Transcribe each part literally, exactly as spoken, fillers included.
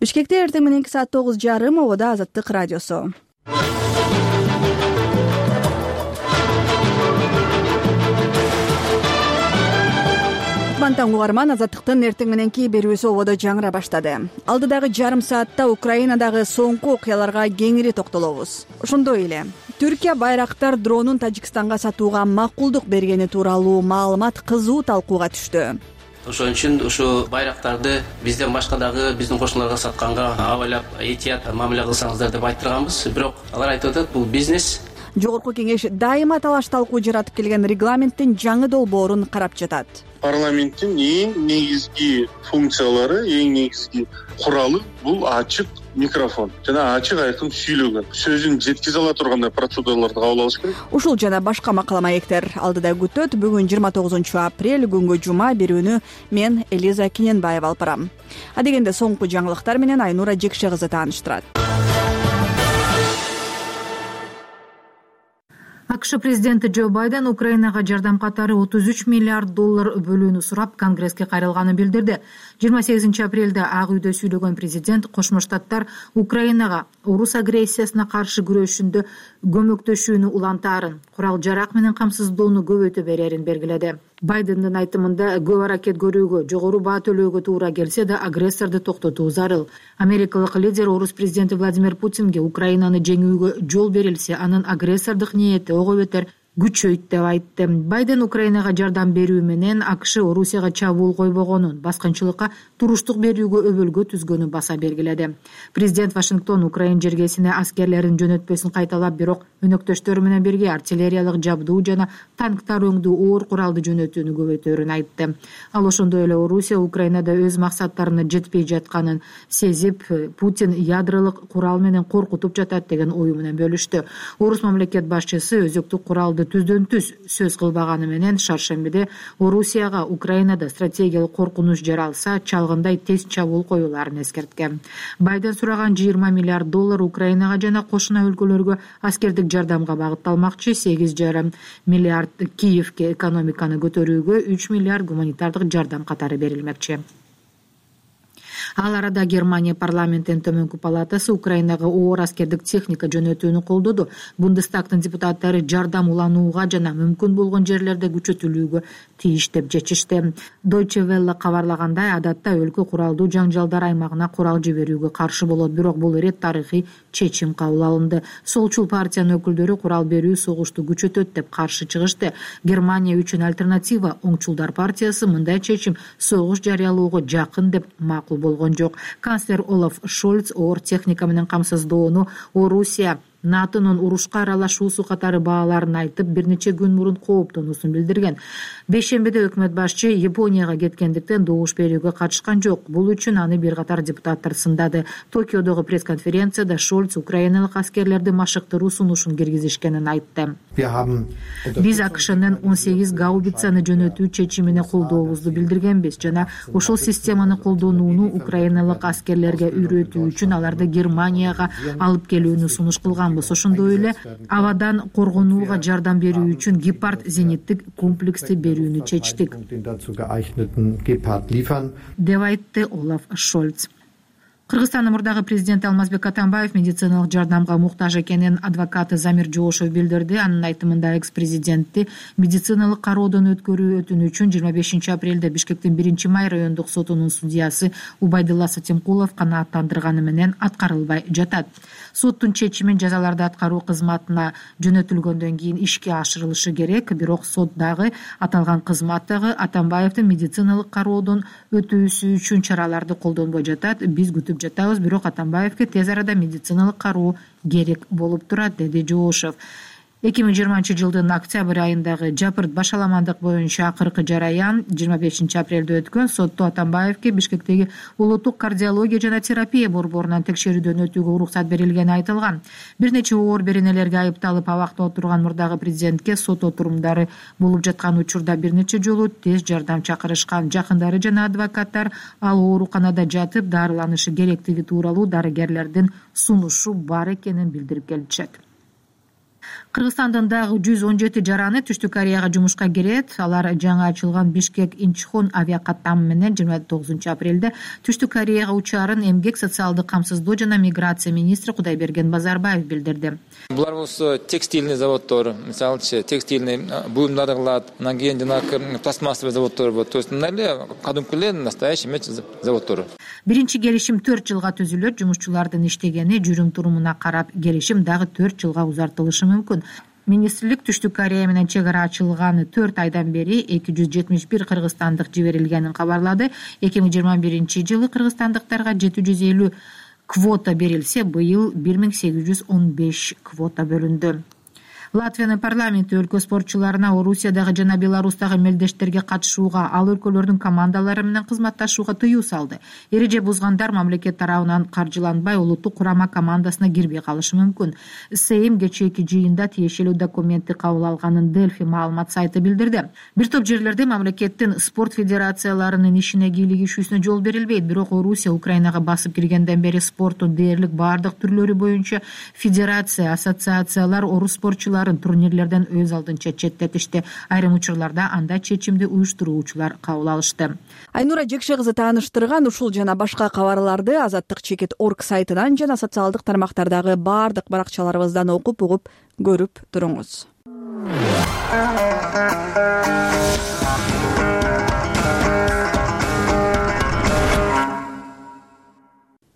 Бишкекте эртең мененки саат тогуз жарым ободо Азаттык радиосу. Кутман угарман, Азаттыктын эртең мененки берүүсү ободо жаңыра баштады. Алдыдагы жарым саатта Украинадагы соңку окуяларга кеңири токтолобуз. Ошондой эле Түркия Байрактар дронун Тажикстанга сатууга макулдук бергени тууралуу маалымат кызуу талкууга түштү. Ошон үчүн ушу байрактарды бизден башка дагы биздин кошуналарга сатканга абайлап этият мамиле кылсаңыздар деп айттырганбыз. Бирок алар айтып атат, бул бизнес. Жогорку кеңеш дайыма талаш талкуу жаратып келген регламенттин жаңы долбоорун карап жатат. Парламенттин эң негизги функциялары, эң негизги куралы бул ачык микрофон жана ачык айкын сүйлөгөн, сөзүн жеткизе ала тургандай процедураларды кабыл алыш керек. Ушул жана башка макала маектер алдыда күтөт. Бүгүн жыйырма тогузунчу апрель күнгө жума, берүүнү мен Элиза Кененбаева алып барам. Адегенде соңку жаңылыктар менен Айнура Жекше кызы тааныштырат. АКШ президенти Джо Байден Украинага жардам катары отуз үч миллиард доллар бөлүүнү сурап Конгресске кайрылганын билдирди. жыйырма сегизинчи апрелде Ак үйдө сүйлөгөн президент Кошмо Штаттар Украинага орус агрессиясына каршы күрөшүндө көмөктөшүүнү улантаарын, курал-жарак менен камсыздоону көбөйтө берерин белгиледи. Байдендин айтымында көп аракет көрүүгө, жогору баа төлөөгө туура келсе да агрессорду токтотуу зарыл. Америкалык лидер орус президенти Владимир Путинге Украинаны жеңүүгө жол берилсе, анын агрессордук ниети ого бетер күчөйт деп айтты. Байден Украинага жардам берүү менен АКШ Орусияга чабуул койбогонун, баскынчылыкка туруштук берүүгө өбөлгө түзгөнүн баса белгиледи. Президент Вашингтон Украин жергесине аскерлерин жөнөтпөсүн кайталап, бирок өнөктөштөрү менен бирге артиллериялык жабдуу жана танктар өңдүү оор куралды жөнөтүүнү көбөйтөөрүн айтты. Ал ошондой эле Орусия Украинада өз максаттарына жетпей жатканын сезип, Путин ядролук курал менен коркутуп жатат деген ою менен бөлүштү. Орус мамлекет башчысы өзөктүк куралды түздөн түз сөз кылбаганы менен шаршембиде Орусияга Украинада стратегиялык коркунуч жаралса, чалгындай тез чабуул коюуларын эскерткен. Байден сураган жыйырма миллиард доллар Украинага жана кошуна өлкөлөргө аскердик жардамга багытталмакчы. сегиз жарым миллиард Киевке экономиканы көтөрүүгө, үч миллиард гуманитардык жардам катары берилмекчи. Ал арада Германия парламентинин төмөнкү палатасы Украинага оор аскердик техника жөнөтүүнү колдоду. Бундестагдын депутаттары жардам уланууга жана мүмкүн болгон жерлерде күчөтүлүүгө тийиш деп чечишти. Deutsche Welle кабарлагандай, адатта өлкө куралдуу жаңжалдар аймагына курал жиберүүгө каршы болот, бирок бул ирет тарыхый чечим кабыл алынды. Солчул партиянын өкүлдөрү курал берүү согушту күчөтөт деп каршы чыгышты. Германия үчүн альтернатива оңчулдар партиясы мындай чечим согуш жарыялоого жакын деп макул болгон жок. Канцлер Олаф Шольц оор техника менен камсыздоону Орусия НАТОнун урушка аралашуусу катары бааларын айтып, бир нече күн мурун кооптонуусун билдирген. Бейшембиде өкмөт башчы Японияга кеткендиктен добуш берүүгө катышкан жок. Бул үчүн аны бир катар депутаттар сындады. Токиодогу пресс-конференцияда Шольц украиналык аскерлерди машыктыруу сунушун киргизишкенин айтты. Биз АКШнын он сегиз гаубицаны жөнөтүү чечимине колдообузду билдиргенбиз жана ошол системаны колдонууну украиналык аскерлерге үйрөтүү үчүн аларды Германияга алып келүүнү сунуш кылган. Ошондой эле абадан коргонууга жардам берүү үчүн Гепард зениттик комплексти берүүнү чечтик, деп айтты Олаф Шольц. Кыргызстандын мурдагы президенти Алмазбек Атамбаев медициналык жардамга муктаж экенин адвокаты Замир Жоошев билдирди. Анын айтымында экс-президентти медициналык кароодон өткөрүү өтүнүчүн жыйырма бешинчи апрелде Бишкектин биринчи май райондук сотунун судьясы Убайдулла Сатимкулов канааттандырганы менен аткарылбай жатат. Соттун чечимин жазаларды аткаруу кызматына жөнөтүлгөндөн кийин ишке ашырылышы керек, бирок сот дагы аталган кызмат дагы Атамбаевдин медициналык кароодон өтүүсү үчүн чараларды колдонбой жатат. Биз күтүп жатабыз, бирок Атамбаевге тез арада медициналык кароо керек болуп турат, деди Жоошев. эки миң жыйырманчы жылдын октябрь айындагы жапырт башаламандык боюнча акыркы жараян жыйырма бешинчи апрелде өткөн. Сотто Атамбаевге Бишкектеги улуттук кардиология жана терапия борборунан текшерүүдөн өтүүгө уруксат берилгени айтылган. Бир нече оор беренелерге айыпталып абакта отурган мурдагы президентке сот отурумдары болуп жаткан учурда бир нече жолу тез жардам чакырышкан. Жакындары жана адвокаттар ал ооруканада жатып дарыланышы керектиги тууралуу дарыгерлердин сунушу бар экенин билдирип келишет. Кыргызстандын дагы жүз он жети жараны Түштүк Кореяга жумушка кирет. Алар жаңы ачылган Бишкек Инчхон авиакаттамы менен жыйырма тогузунчу апрелде Түштүк Кореяга учаарын эмгек, социалдык камсыздоо жана миграция министри Кудайберген Базарбаев билдирди. Булар болсо текстильный заводдор, мисалычы текстильный буюмдарды кылат, анан кийин жанагы пластмассовый заводдор болот. То есть мындай кадимки эле настоящий меч заводдор. Биринчи келишим төрт жылга түзүлөт. Жумушчулардын иштегени, жүрүм-турумуна карап келишим дагы төрт жылга узартылышы мүмкүн. Министрлик Түштүк Корея менен чек ара ачылганы төрт айдан бери эки жүз жетимиш бир кыргызстандык жиберилгенин кабарлады. эки миң жыйырма биринчи жылы кыргызстандыктарга жети жүз элүү квота берилсе, быйыл бир миң сегиз жүз он беш квота бөлүндү. Латвиянын парламенти өлкө спортчуларына Орусиядагы жана Беларустагы мелдештерге катышууга, ал өлкөлөрдүн командалары менен кызматташууга тыюу салды. Эреже бузгандар мамлекет тарабынан каржыланбай улуттук курама командасына кирбей калышы мүмкүн. Сейм кечээки жыйында тиешелүү документти кабыл алганын Дельфи маалымат сайты билдирди. Бир топ жерлерде мамлекеттин спорт федерацияларынын ишине кийлигишүүсүнө жол берилбейт. Бирок Орусия Украинага басып киргенден бери спорттун дээрлик баардык түрлөрү боюнча федерация, ассоциациялар орус спортчулары турнирлерден өз алдынча четтетишти. Айрым учурларда анда чечимди уюштуруучулар кабыл алышты. Айнура Жекше кызы тааныштырган ушул жана башка кабарларды азаттык чекит орг сайтынан жана социалдык тармактардагы баардык баракчаларыбыздан окуп угуп көрүп туруңуз.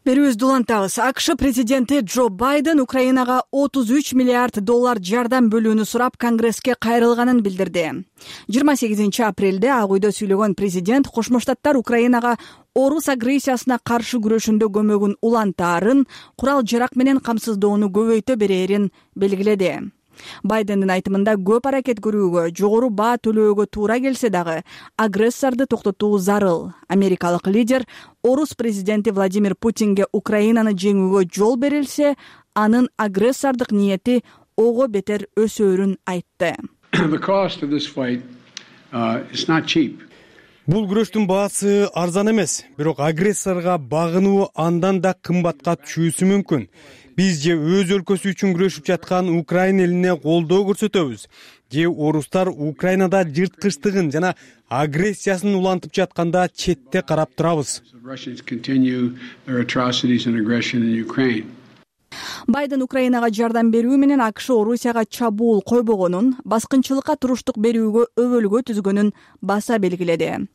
Берүүбүздү улантабыз. АКШ президенти Джо Байден Украинага отуз үч миллиард доллар жардам бөлүүнү сурап Конгресске кайрылганын билдирди. жыйырма сегизинчи апрелде Ак үйдө сүйлөгөн президент Кошмо Штаттар Украинага орус агрессиясына каршы күрөшүндө көмөгүн улантаарын, курал-жарак менен камсыздоону көбөйтө берерин белгиледи. Байдендин айтымында көп аракет көрүүгө, жогору баа төлөөгө туура келсе дагы агрессорду токтотуу зарыл. Америкалык лидер орус президенти Владимир Путинге Украинаны жеңүүгө жол берилсе, анын агрессордук ниети ого бетер өсөөрүн айтты. Бул күрөштүн баасы арзан эмес, бирок агрессорго багынуу андан да кымбатка түшүүсү мүмкүн. Биз же өз өлкөсү үчүн күрөшүп жаткан Украина элине колдоо көрсөтөбүз, же орустар Украинада жырткычтыгын жана агрессиясын улантып жатканда четте карап турабыз. Байден Украинага жардам берүү менен АКШ Орусияга чабуул койбогонун, баскынчылыкка туруштук берүүгө өбөлгө түзгөнүн баса белгиледи.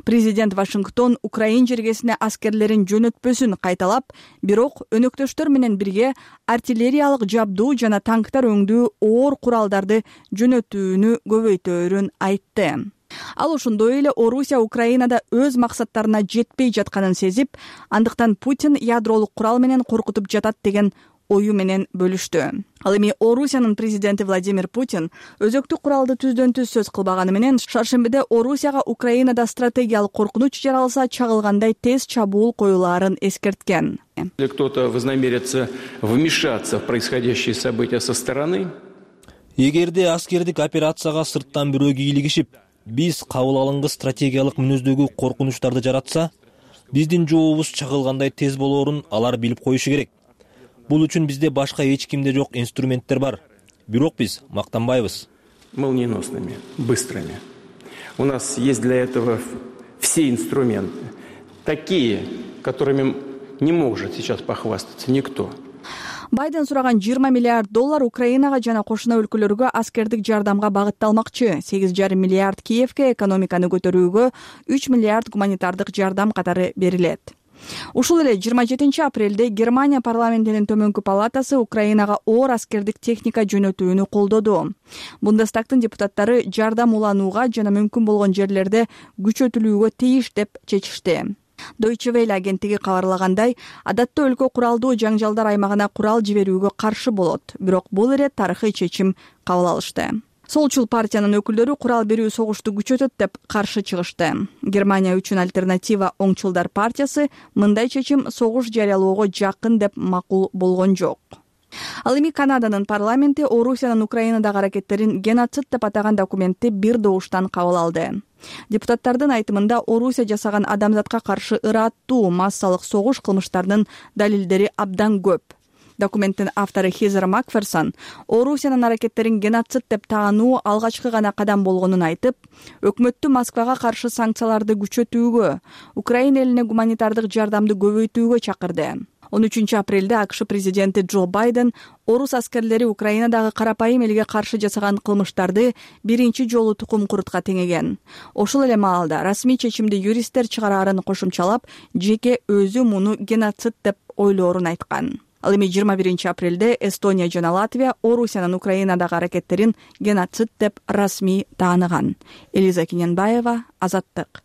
Президент Вашингтон Украин жергесине аскерлерин жөнөтпөсүн кайталап, бирок өнөктөштөр менен бирге артиллериялык жабдуу жана танктар өңдүү оор куралдарды жөнөтүүнү көбөйтөөрүн айтты. Ал ошондой эле Орусия Украинада өз максаттарына жетпей жатканын сезип, андыктан Путин ядролук курал менен коркутуп жатат деген ою менен бөлүштү. Ал эми Орусиянын президенти Владимир Путин өзөктүк куралды түздөн түз сөз кылбаганы менен шаршембиде Орусияга Украинада стратегиялык коркунуч жаралса чагылгандай тез чабуул коюлаарын эскерткен. Если кто-то вознамерится вмешаться в происходящие события со стороны, эгерде аскердик операцияга сырттан бирөө кийлигишип, биз кабыл алынгыс стратегиялык мүнөздөгү коркунучтарды жаратса, биздин жообубуз чагылгандай тез болоорун алар билип коюшу керек. Бул үчүн бизде башка эч кимде жок инструменттер бар. Бирок биз мактанбайбыз. Молниеносными, быстрыми. У нас есть для этого все инструменты, такие, которыми не может сейчас похвастаться никто. Байден сураган жыйырма миллиард доллар Украинага жана кошуна өлкөлөргө аскердик жардамга багытталмакчы. сегиз жарым миллиард Киевке, экономиканы көтөрүүгө үч миллиард гуманитардык жардам катары берилет. Ушул эле жыйырма жетинчи апрелде Германия парламентинин төмөнкү палатасы Украинага оор аскердик техника жөнөтүүнү колдоду. Бундестагтын депутаттары жардам уланууга жана мүмкүн болгон жерлерде күчөтүлүүгө тийиш деп чечишти. Deutsche Welle агенттиги кабарлагандай, адатта өлкө куралдуу жаңжалдар аймагына курал жиберүүгө каршы болот, бирок бул ирет тарыхый чечим кабыл алышты. Солчул партиянын өкүлдөрү курал берүү согушту күчөтөт деп каршы чыгышты. Германия үчүн альтернатива оңчулдар партиясы мындай чечим согуш жарыялоого жакын деп макул болгон жок. Ал эми Канаданын парламенти Орусиянын Украинадагы аракеттерин геноцид деп атаган документти бир добуштан кабыл алды. Депутаттардын айтымында Орусия жасаган адамзатка каршы ыраттуу массалык согуш кылмыштарынын далилдери абдан көп. Документтин автору Хизер Макферсон Орусиянын аракеттерин геноцид деп таануу алгачкы гана кадам болгонун айтып, өкмөттү Москвага каршы санкцияларды күчөтүүгө, Украина элине гуманитардык жардамды көбөйтүүгө чакырды. он үчүнчү апрелде АКШ президенти Джо Байден орус аскерлери Украинадагы карапайым элге каршы жасаган кылмыштарды биринчи жолу тукум курутка теңеген. Ошол эле маалда расмий чечимди юристтер чыгараарын кошумчалап, жеке өзү муну геноцид деп ойлоорун айткан. Ал эми жыйырма биринчи апрелде Эстония жана Латвия Орусиянын Украинадагы аракеттерин геноцид деп расмий тааныган. Элиза Кененбаева, Азаттык.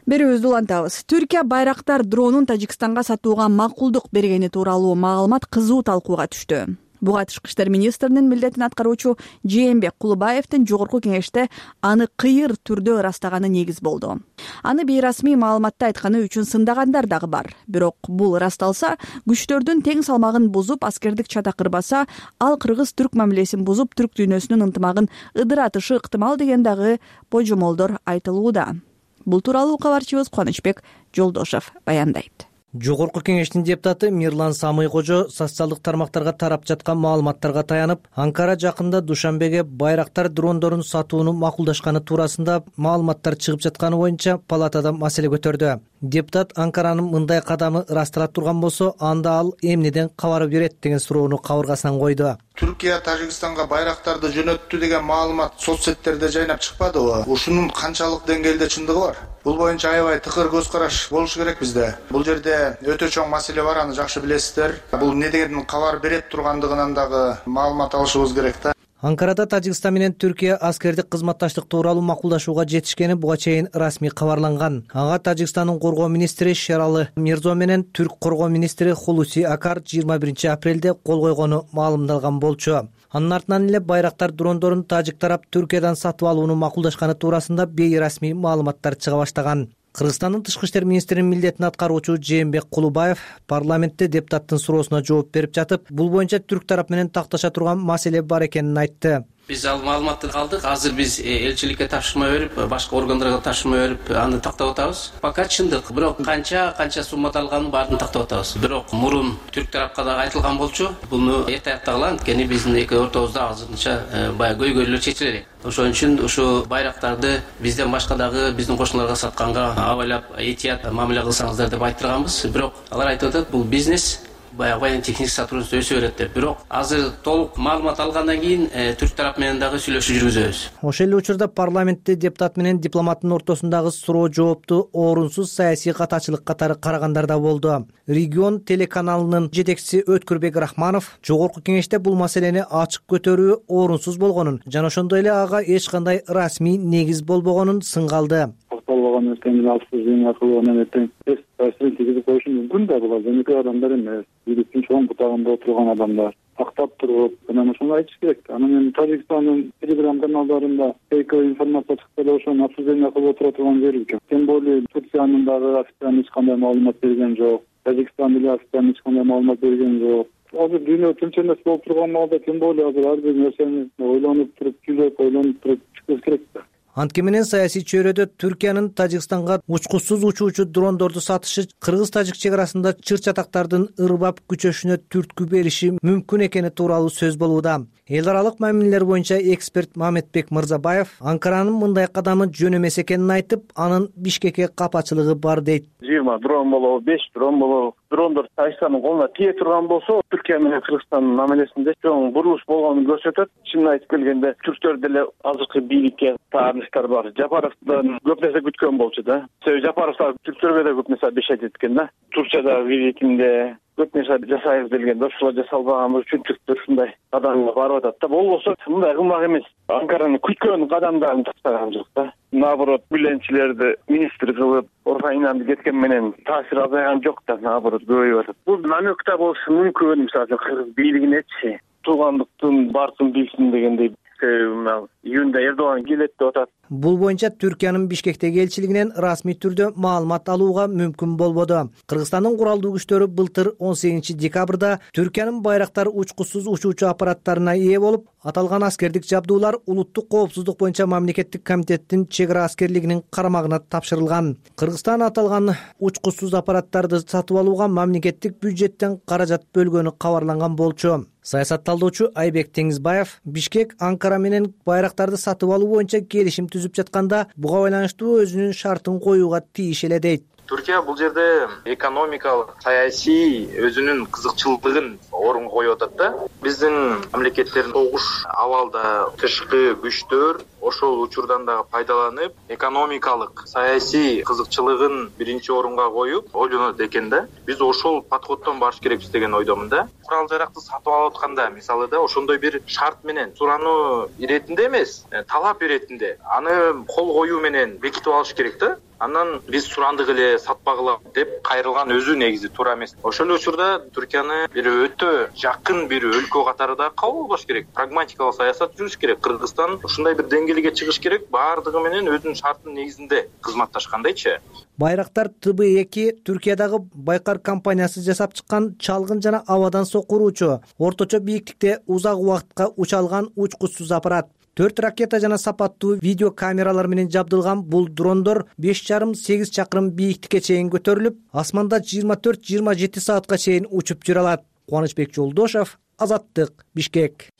Берүүбүздү улантабыз. Түркия байрактар дронун Тажикстанга сатууга макулдук бергени тууралуу маалымат кызуу талкууга түштү. Буга тышкы иштер министринин милдетин аткаруучу Жээнбек Кулубаевдин жогорку кеңеште аны кыйыр түрдө ырастаганы негиз болду. Аны бейрасмий маалыматта айтканы үчүн сындагандар дагы бар. Бирок бул ырасталса, күчтөрдүн тең салмагын бузуп, аскердик чата кырбаса, ал кыргыз-түрк мамилесин бузуп, түрк дүйнөсүнүн ынтымагын ыдыратышы ыктымал деген дагы божомолдор айтылууда. Бул тууралуу кабарчыбыз Кубанычбек Жолдошев баяндайт. Жогорку кеңештин депутаты Мирлан Самый Кожо социалдык тармактарга тарап жаткан маалыматтарга таянып, Анкара жакында Душанбеге байрактар дрондорун сатууну макулдашканы туурасында маалыматтар чыгып жатканы боюнча палатада маселе көтөрдү. Депутат Анкаранын мындай кадамы ырастала турган болсо, анда ал эмнеден кабар берет деген суроону кабыргасынан койду. Түркия Тажикстанга байрактарды жөнөттү деген маалымат соцсеттерде жайнап чыкпадыбы? Ушунун канчалык деңгээлде чындыгы бар? Бул боюнча аябай тыкыр көз караш болуш керек бизде. Бул жерде өтө чоң маселе бар, аны жакшы билесиздер. Бул не деген кабар берет тургандыгынан дагы маалымат алышыбыз керек да. Анкарада Тажикстан менен Түркия аскердик кызматташтык тууралуу макулдашууга жетишкени буга чейин расмий кабарланган. Ага Тажикстандын коргоо министри Шералы Мирзо менен түрк коргоо министри Хулуси Акар жыйырма биринчи апрелде кол койгону маалымдалган болчу. Анын артынан эле байрактар дрондорун тажик тарап Түркиядан сатып алууну макулдашканы туурасында бейрасмий маалыматтар чыга баштаган. Кыргызстандын тышкы иштер министринин милдетин аткаруучу Жээнбек Кулубаев парламентте депутаттын суроосуна жооп берип жатып, бул боюнча түрк тарап менен такташа турган маселе бар экенин айтты. Биз ал маалыматты алдык. Азыр биз элчиликке тапшырма берип, башка органдарга тапшырма берип, аны тактап атабыз. Пока чындык, бирок канча канча суммада алганын баарын тактап атабыз. Бирок мурун түрк тарапка да айтылган болчу. Буну эрте аяктагыла, анткени биздин эки ортобузда азырынча баягы көйгөйлөр чечиле. Ошон үчүн ушу байрактарды бизден башка дагы биздин кошуналарга сатканга абайлап этият мамиле кылсаңыздар деп айттырганбыз. Бирок алар айтып атат, бул бизнес. Баягы техник сотрудничество өсө берет деп. Бирок азыр толук маалымат алгандан кийин түрк тарап менен дагы сүйлөшүү жүргүзөбүз. Ошол эле учурда парламентте депутат менен дипломаттын ортосундагы суроо жоопту орунсуз саясий катачылык катары карагандар да болду. Регион телеканалынын жетекчиси Өткүрбек Рахманов жогорку кеңеште бул маселени ачык көтөрүү орунсуз болгонун жана ошондой эле ага эч кандай расмий негиз болбогонун сынгалды. Болбогон эртең алсыз аркылуу эртең таасирин тийгизип коюшу мүмкүн да, булар өнөкөй адамдар эмес, бийликтин чоң бутагында отурган адамдар. Тактап туруп, анан ошону айтыш керек. Анан эми Тажикстандын телеграм каналдарында фейковый информация чыкса эле ошону обсуждение кылып отура турган жери жок. Тем более Турциянын дагы официально эч кандай маалымат берген жок. Тажикстан деле официально эч кандай маалымат берген жок. Азыр дүйнө тынч эмес болуп турган маалда тем более азыр ар бир нерсени ойлонуп туруп, түзөп, ойлонуп туруп чыгыш керек да. Анткени менен саясий чөйрөдө Түркиянын Тажикстанга учкучсуз учуучу дрондорду сатышы кыргыз-тажик чек арасында чыр-чатактардын ырбап күчөшүнө түрткү бериши мүмкүн экени тууралуу сөз болууда. Эл аралык мамилелер боюнча эксперт Мамедбек Мырзабаев Анкаранын мындай кадамы жөн эмес экенин айтып, анын Бишкекке капачылыгы бар дейт. жыйырма дрон болобу, беш дрон болобу, дрондор Тажикстандын колуна тие турган болсо, Түркия менен Кыргызстандын мамилесинде чоң бурулуш болгонун көрсөтөт. Чынын айтып келгенде, түрктөр деле азыркы бийликке тааныштар бар. Жапаровдон көп нерсе күткөн болчу да. Себеби Жапаровдор түрктөргө да көп нерсе обещать эткен да. Турциядагы визитинде көп нерсе жасайбыз делгенде, ошолор жасалбаган үчүн түрктөр ушундай кадамга барып атат да. Болбосо мындай кылмак эмес. Анкаранын күткөн кадамдарын таштаган жок да. Наоборот, бүленчилерди министр кылып, Орфайнанды кеткен менен таасир азайган жок да, наоборот көбөйүп атат. Бул намекта болушу мүмкүн, мисалы Кыргыз бийлигинечи туугандыктын бартын билсин дегендей Бишкекке июнда Эрдоган келет деп атат. Бул боюнча Түркиянын Бишкектеги элчилигинен расмий түрдө маалымат алууга мүмкүн болбоду. Кыргызстандын куралдуу күчтөрү былтыр он сегизинчи декабрда Түркиянын байрактар учкучсуз учуучу аппараттарына ээ болуп, аталган аскердик жабдуулар улуттук коопсуздук боюнча мамлекеттик комитеттин чек ара аскерлигинин карамагына тапшырылган. Кыргызстан аталган учкучсуз аппараттарды сатып алууга мамлекеттик бюджеттен каражат бөлгөнү кабарланган болчу. Саясатталдоочу Айбек Теңизбаев Бишкек Анкара менен байрактарды сатып алуу боюнча келишим түзүп жатканда буга байланыштуу өзүнүн шартын коюуга тийиш эле дейт. Түркия бул жерде экономикалык, саясий өзүнүн кызыкчылыгын орунга коюп атат да. Биздин мамлекеттердин согуш абалда тышкы күчтөр ошол учурдан дагы пайдаланып, экономикалык, саясий кызыкчылыгын биринчи орунга коюп ойлонот экен да. Биз ошол подходдон барыш керекпиз деген ойдомун да. Курал жаракты сатып алып атканда, мисалы да, ошондой бир шарт менен сурануу иретинде эмес, талап иретинде аны кол коюу менен бекитип алыш керек да. Андан биз сурандык эле сатпагыла деп кайрылган өзү негизи туура эмес. Ошол эле учурда Түркияны бир өтө жакын бир өлкө катарында кабыл албаш керек. Прагматикалык саясат жүрүш керек. Кыргызстан ушундай бир деңгээлге чыгыш керек, баардыгы менен өзүнүн шартынын негизинде кызматташкандайчы. Байрактар Т Б эки Түркиядагы Байкар компаниясы жасап чыккан чалгын жана абадан сокуруучу, орточо бийиктикте узак убакытка уча алган учкучсуз аппарат. Төрт ракета жана сапаттуу видео камералар менен жабдылган бул дрондор беш жарым сегиз чакырым бийиктикке чейин көтөрүлүп, асманда жыйырма төрт жыйырма жети саатка чейин учуп жүрө алат. Кубанычбек Жолдошев, Азаттык, Бишкек.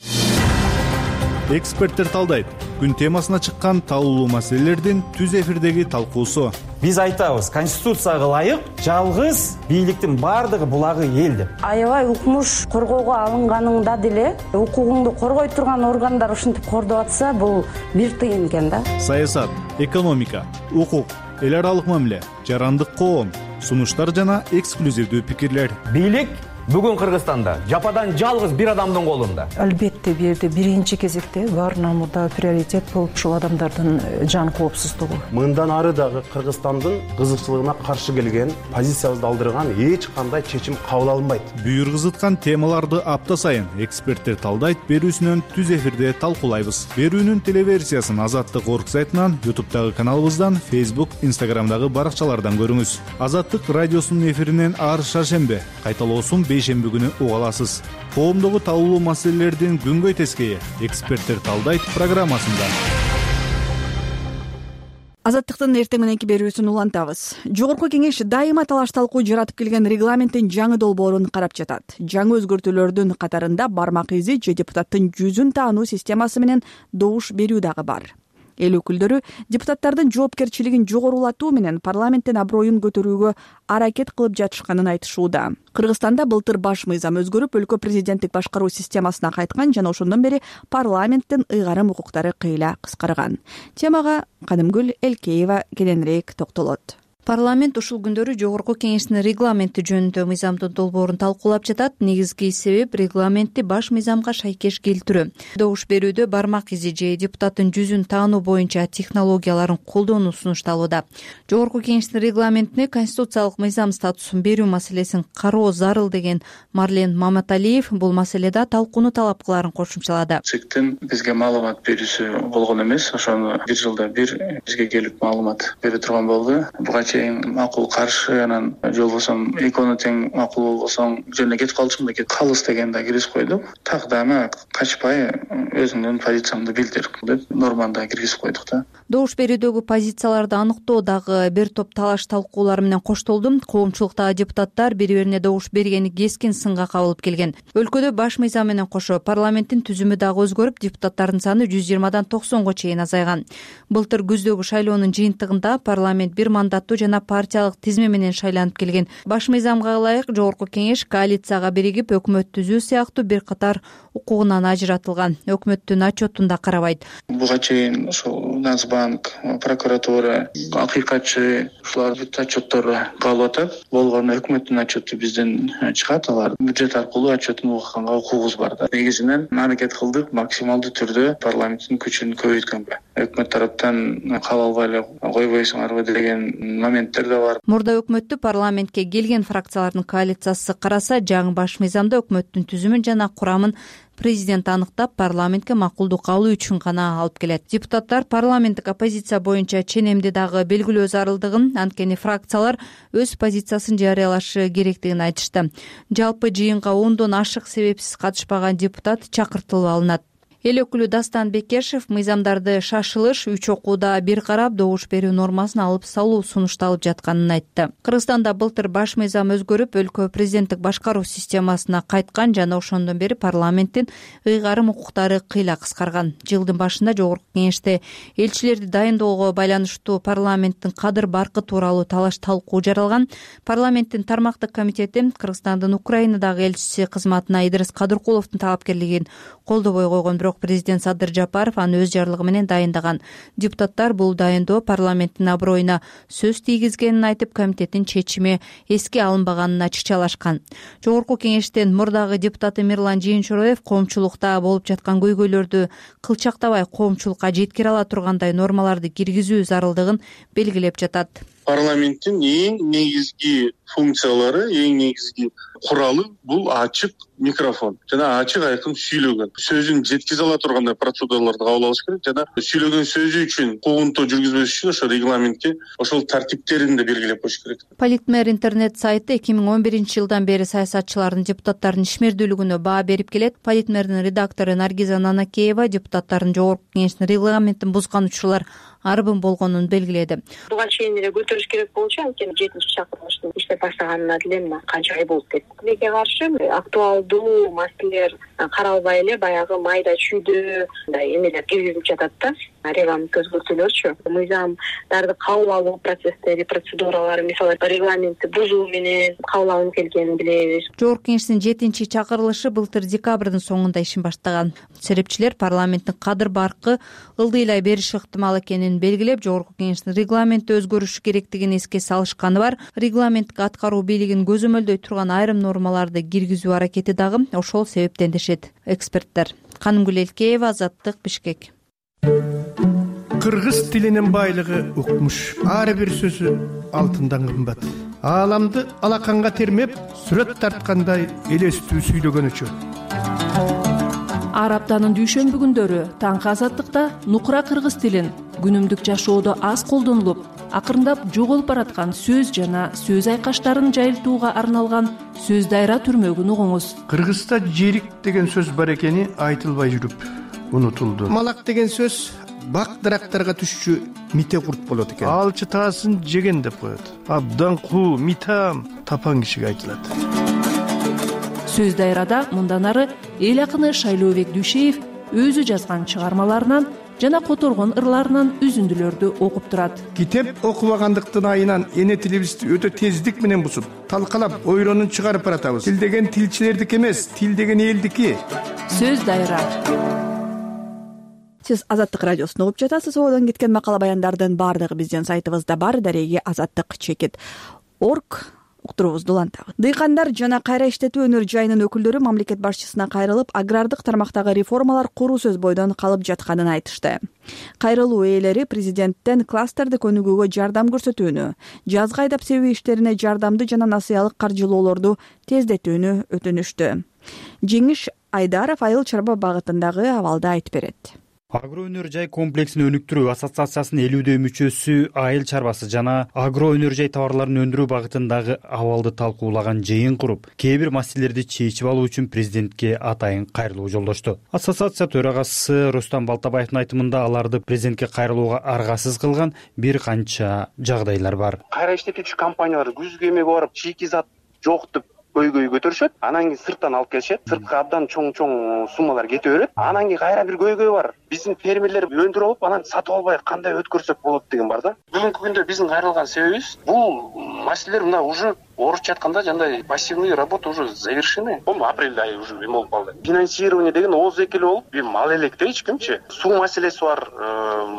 Эксперттер талдайт. Күн темасына чыккан талуулуу маселелердин түз эфирдеги талкуусу. Биз айтабыз, конституцияга ылайык жалгыз бийликтин баардыгы булагы эл деп. Аябай укмуш коргоого алынганыңда деле укугуңду коргой турган органдар ушинтип кордоп атса, бул бир тыйын экен да. Саясат, экономика, укук, эл аралык мамиле, жарандык коом, сунуштар жана эксклюзивдүү пикирлер. Бийлик бүгүн Кыргызстанда жападан жалгыз бир адамдын колунда. Албетте бул жерде биринчи кезекте баарынан мурда приоритет болуп ушул адамдардын жан коопсуздугу. Мындан ары дагы Кыргызстандын кызыкчылыгына каршы келген, позициябызды алдырган эч кандай чечим кабыл алынбайт. Бүйүр кызыткан темаларды апта сайын эксперттер талдайт берүүсүнөн түз эфирде талкуулайбыз. Берүүнүн телеверсиясын Азаттык орг сайтынан, ютубтагы каналыбыздан, Facebook, Instagramдагы баракчалардан көрүңүз. Азаттык радиосунун эфиринен ар шаршембе, кайталоосун бейшемби күнү уга аласыз. Коомдогу талуулуу маселелердин күнгөй тескейи эксперттер талдайт программасында. Азаттыктын эртең мененки берүүсүн улантабыз. Жогорку кеңеш дайыма талаш талкуу жаратып келген регламенттин жаңы долбоорун карап жатат. Жаңы өзгөртүүлөрдүн катарында бармак изи же депутаттын жүзүн таануу системасы менен добуш берүү дагы бар. Эл өкүлдөрү депутаттардын жоопкерчилигин жогорулатуу менен парламенттин аброюн көтөрүүгө аракет кылып жатышканын айтышууда. Кыргызстанда былтыр баш мыйзам өзгөрүп, өлкө президенттик башкаруу системасына кайткан жана ошондон бери парламенттин ыйгарым укуктары кыйла кыскарган. Темага Кадымгүл Элкеева кененирээк токтолот. Парламент ушул күндөрү жогорку кеңештин регламенти жөнүндө мыйзамдын долбоорун талкуулап жатат. Негизги себеп регламентти баш мыйзамга шайкеш келтирүү. Добуш берүүдө бармак изи же депутаттын жүзүн таануу боюнча технологияларын колдонуу сунушталууда. Жогорку кеңештин регламентине конституциялык мыйзам статусун берүү маселесин кароо зарыл деген Марлен Маматалиев бул маселеде талкууну талап кыларын кошумчалады. Чектен бизге маалымат берүүсү болгон эмес, ошону бир жылда бир бизге келип маалымат бере турган болду. Буга макул каршы, анан же болбосо экөөнү тең макул болбосоң жөн эле кетип калчумун да калыс дегенде киргизип койдук. Так дагы качпай өзүңдүн позициямды билдир деп норманы киргизип койдук да. Добуш берүүдөгү позицияларды аныктоо дагы бир топ талаш талкуулар менен коштолду. Коомчулуктагы депутаттар бири-бирине добуш бергени кескин сынга кабылып келген. Өлкөдө баш мыйзам менен кошо парламенттин түзүмү дагы өзгөрүп, депутаттардын саны жүз жыйырмадан токсонго чейин азайган. Былтыр күздөгү шайлоонун жыйынтыгында парламент бир мандаттуу жана партиялык тизме менен шайланып келген. Баш мыйзамга ылайык жогорку кеңеш коалицияга биригип өкмөт түзүү сыяктуу бир катар укугунан ажыратылган. Өкмөттүн отчетун да карабайт. Буга чейин ошол Нацбанк, прокуратура, акыйкатчы ушулар отчеттору калып атат. Болгону өкмөттүн отчету бизден чыгат, алар бюджет аркылуу отчетун угуканга укугубуз бар да. Негизинен аракет кылдык максималдуу түрдө парламенттин күчүн көбөйткөнгө. өкмөт тараптан кабыл албай эле койбойсуңарбы деген моменттер да бар. Мурда өкмөттү парламентке келген фракциялардын коалициясы караса, жаңы баш мыйзамда өкмөттүн түзүмүн жана курамын президент аныктап, парламентке макулдук алуу үчүн гана алып келет. Депутаттар парламенттик оппозиция боюнча ченемди дагы белгилөө зарылдыгын, анткени фракциялар өз позициясын жарыялашы керектигин айтышты. Жалпы жыйынга ондон ашык себепсиз катышпаган депутат чакыртылып алынат. Эл өкүлү Дастан Бекешев мыйзамдарды шашылыш үч окууда бир карап добуш берүү нормасын алып салуу сунушталып жатканын айтты. Кыргызстанда былтыр баш мыйзам өзгөрүп, өлкө президенттик башкаруу системасына кайткан жана ошондон бери парламенттин ыйгарым укуктары кыйла кыскарган. Жылдын башында Жогорку Кеңеште элчилерди дайындоого байланыштуу парламенттин кадыр баркы тууралуу талаш талкуу жаралган. Парламенттин тармактык комитети Кыргызстандын Украинадагы элчиси кызматына Идрис Кадыркуловдун талапкерлигин колдобой койгон, бирок президент Садыр Жапаров аны өз жарлыгы менен дайындаган. Депутаттар бул дайындоо парламенттин аброюна сөз тийгизгенин айтып, комитеттин чечими эске алынбаганын ачыкчалашкан. Жогорку Кеңештин мурдагы депутаты Мирлан Жыйынчуроев коомчулукта болуп жаткан көйгөйлөрдү кылчактабай коомчулукка жеткире ала тургандай нормаларды киргизүү зарылдыгын белгилеп жатат. Парламенттин эң негизги функциялары, эң негизги куралы бул ачык микрофон жана ачык айкын сүйлөгөн, сөзүн жеткизе ала тургандай процедураларды кабыл алыш керек жана сүйлөгөн сөзү үчүн куугунтуу жүргүзбөш үчүн ошо регламентке ошол тартиптерин да белгилеп коюш керек. Политмер интернет сайты эки миң он биринчи жылдан бери саясатчылардын, депутаттардын ишмердүүлүгүнө баа берип келет. Политмердин редактору Наргиза Нанакеева депутаттардын Жогорку Кеңештин регламентин бузган учурлар арбын болгонун белгиледи. Буга чейин эле көтөрүш керек болчу, анткени жетинчи чакырылыштын иштеп баштаганына деле канча ай болуп кетти. Тилекке каршы актуалдуу маселелер каралбай эле баягы майда чүйдө мындай эмелер киргизилип жатат да. Регламент өзгөртүүлөрчү. Мыйзамдарды кабыл алуу процесстери, процедуралары, мисалы регламентти бузуу менен кабыл алынып келгенин билебиз. Жогорку Кеңештин жетинчи чакырылышы былтыр декабрдын соңунда ишин баштаган. Серепчилер парламенттин кадыр баркы ылдыйлай бериши ыктымал экенин белгилеп, Жогорку Кеңештин регламенти өзгөрүшү керектигин эске салышканы бар. Регламенттик аткаруу бийлигин көзөмөлдөй турган айрым нормаларды киргизүү аракети дагы ошол себептен дешет эксперттер. Канымгүл Элкеева, Азаттык, Бишкек. Кыргыз тилинин байлыгы укмуш. Ар бир сөзү алтындан кымбат. Ааламды алаканга термеп, сүрөт тарткандай элестүү сүйлөгөн үчүн. Ар аптанын дүйшөмбү күндөрү таңкы Азаттыкта нукура кыргыз тилин күнүмдүк жашоодо аз колдонулуп, акырындап жоголуп бараткан сөз жана сөз айкаштарын жайылтууга арналган сөз дайра түрмөгүн угуңуз. Кыргызда жерик деген сөз бар экени айтылбай жүрүп унутулду. Малак деген сөз бак дарактарга түшчү мите курт болот экен. Алчы таасын жеген деп коет. Абдан куу, митам тапан кишиге айтылат. Сөз дайрада мындан ары эл акыны Шайлообек Дүйшеев өзү жазган чыгармаларынан жана которгон ырларынан үзүндүлөрдү окуп турат. Китеп окубагандыктын айынан эне тилибизди өтө тездик менен бузуп, талкалап, ойронун чыгарып баратабыз. Тил деген тилчилердики эмес, тил деген элдики. Сөз дайра. Сиз Азаттык радиосун угуп жатасыз. Одон кеткен макала баяндардын баардыгы биздин сайтыбызда бар. Дареги азаттык чекит орг уктуруубузду улантабыз. Дыйкандар жана кайра иштетүү өнөр жайынын өкүлдөрү мамлекет башчысына кайрылып, агрардык тармактагы реформалар куру сөз бойдон калып жатканын айтышты. Кайрылуу ээлери президенттен кластерди көнүгүүгө жардам көрсөтүүнү, жазгы айдап себүү иштерине жардамды жана насыялык каржылоолорду тездетүүнү өтүнүштү. Жеңиш Айдаров айыл чарба багытындагы абалды айтып берет. Агро өнөр жай комплексин өнүктүрүү ассоциациясынын элүүдөй мүчөсү айыл чарбасы жана агро өнөр жай товарларын өндүрүү багытындагы абалды талкуулаган жыйын куруп, кээ бир маселелерди чечип алуу үчүн президентке атайын кайрылуу жолдошту. Ассоциация төрагасы Рустам Балтабаевдин айтымында аларды президентке кайрылууга аргасыз кылган бир канча жагдайлар бар. Кайра иштетүүчү компаниялар күзгү эмеге барып чийки зат жок деп көйгөй көтөрүшөт, анан кийин сырттан алып келишет, сыртка абдан чоң-чоң суммалар кете берет. Анан кийин кайра бир көйгөй бар. Биздин фермерлер өндүрүп алып, анан сатып албай кандай өткөрсөк болот деген бар да. Бүгүнкү күндө биздин кайрылган себебибиз бул маселелер мына уже орусча айтканда жандай пассивный работа уже завершены. Бул апрель айы уже эме болуп калды. Финансирование деген ооз экели болуп, бир мал элек эч кимчи. Суу маселеси бар.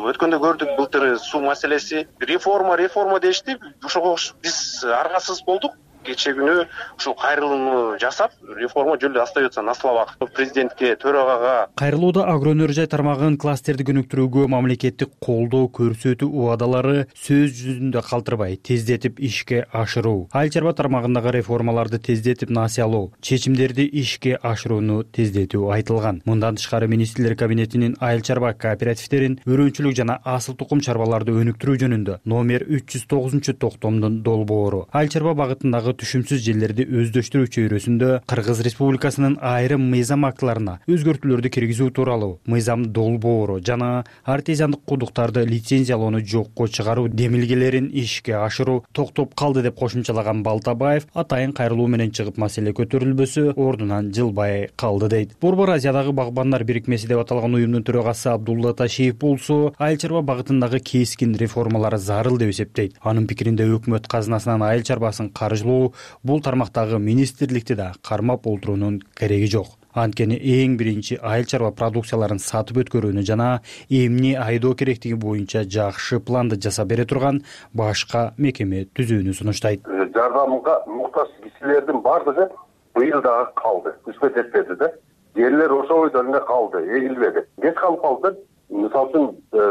Өткөндө көрдүк былтыр суу маселеси. Реформа, реформа дешти. Ошого биз аргасыз болдук. кечээ күнү ушул кайрылууну жасап, реформа жөн эле остается на словах. Президентке, төрагага кайрылууда агро өнөр жай тармагын кластерди өнүктүрүүгө мамлекеттик колдоо көрсөтүү убадалары сөз жүзүндө калтырбай тездетип ишке ашыруу, айыл чарба тармагындагы реформаларды тездетип насыялоо, чечимдерди ишке ашырууну тездетүү айтылган. Мындан тышкары министрлер кабинетинин айыл чарба кооперативдерин өрөөнчүлүк жана асыл тукум чарбаларды өнүктүрүү жөнүндө номер үч жүз тогузунчу токтомдун долбоору айыл чарба багытындагы түшүмсүз жерлерди өздөштүрүү чөйрөсүндө Кыргыз Республикасынын айрым мыйзам актыларына өзгөртүүлөрдү киргизүү тууралуу мыйзам долбоору жана артезиандык кудуктарды лицензиялоону жокко чыгаруу демилгелерин ишке ашыруу токтоп калды деп кошумчалаган Балтабаев атайын кайрылуу менен чыгып маселе көтөрүлбөсө ордунан жылбай калды дейт. Борбор Азиядагы багбандар бирикмеси деп аталган уюмдун төрагасы Абдулла Ташиев болсо айыл чарба багытындагы кескин реформалар зарыл деп эсептейт. Анын пикиринде өкмөт казынасынан айыл чарбасын каржылоо бул тармактагы министрликти да кармап олтуруунун кереги жок. Анткени эң биринчи айыл чарба продукцияларын сатып өткөрүүнү жана эмне айдоо керектиги боюнча жакшы планды жасап бере турган башка мекеме түзүүнү сунуштайт. Жардамга муктаж кишилердин бардыгы быйыл дагы калды, үчмөт этпеди да. Жерлер ошол бойдо эле калды, эгилбеди. Кеч калып калды. Мисалы үчүн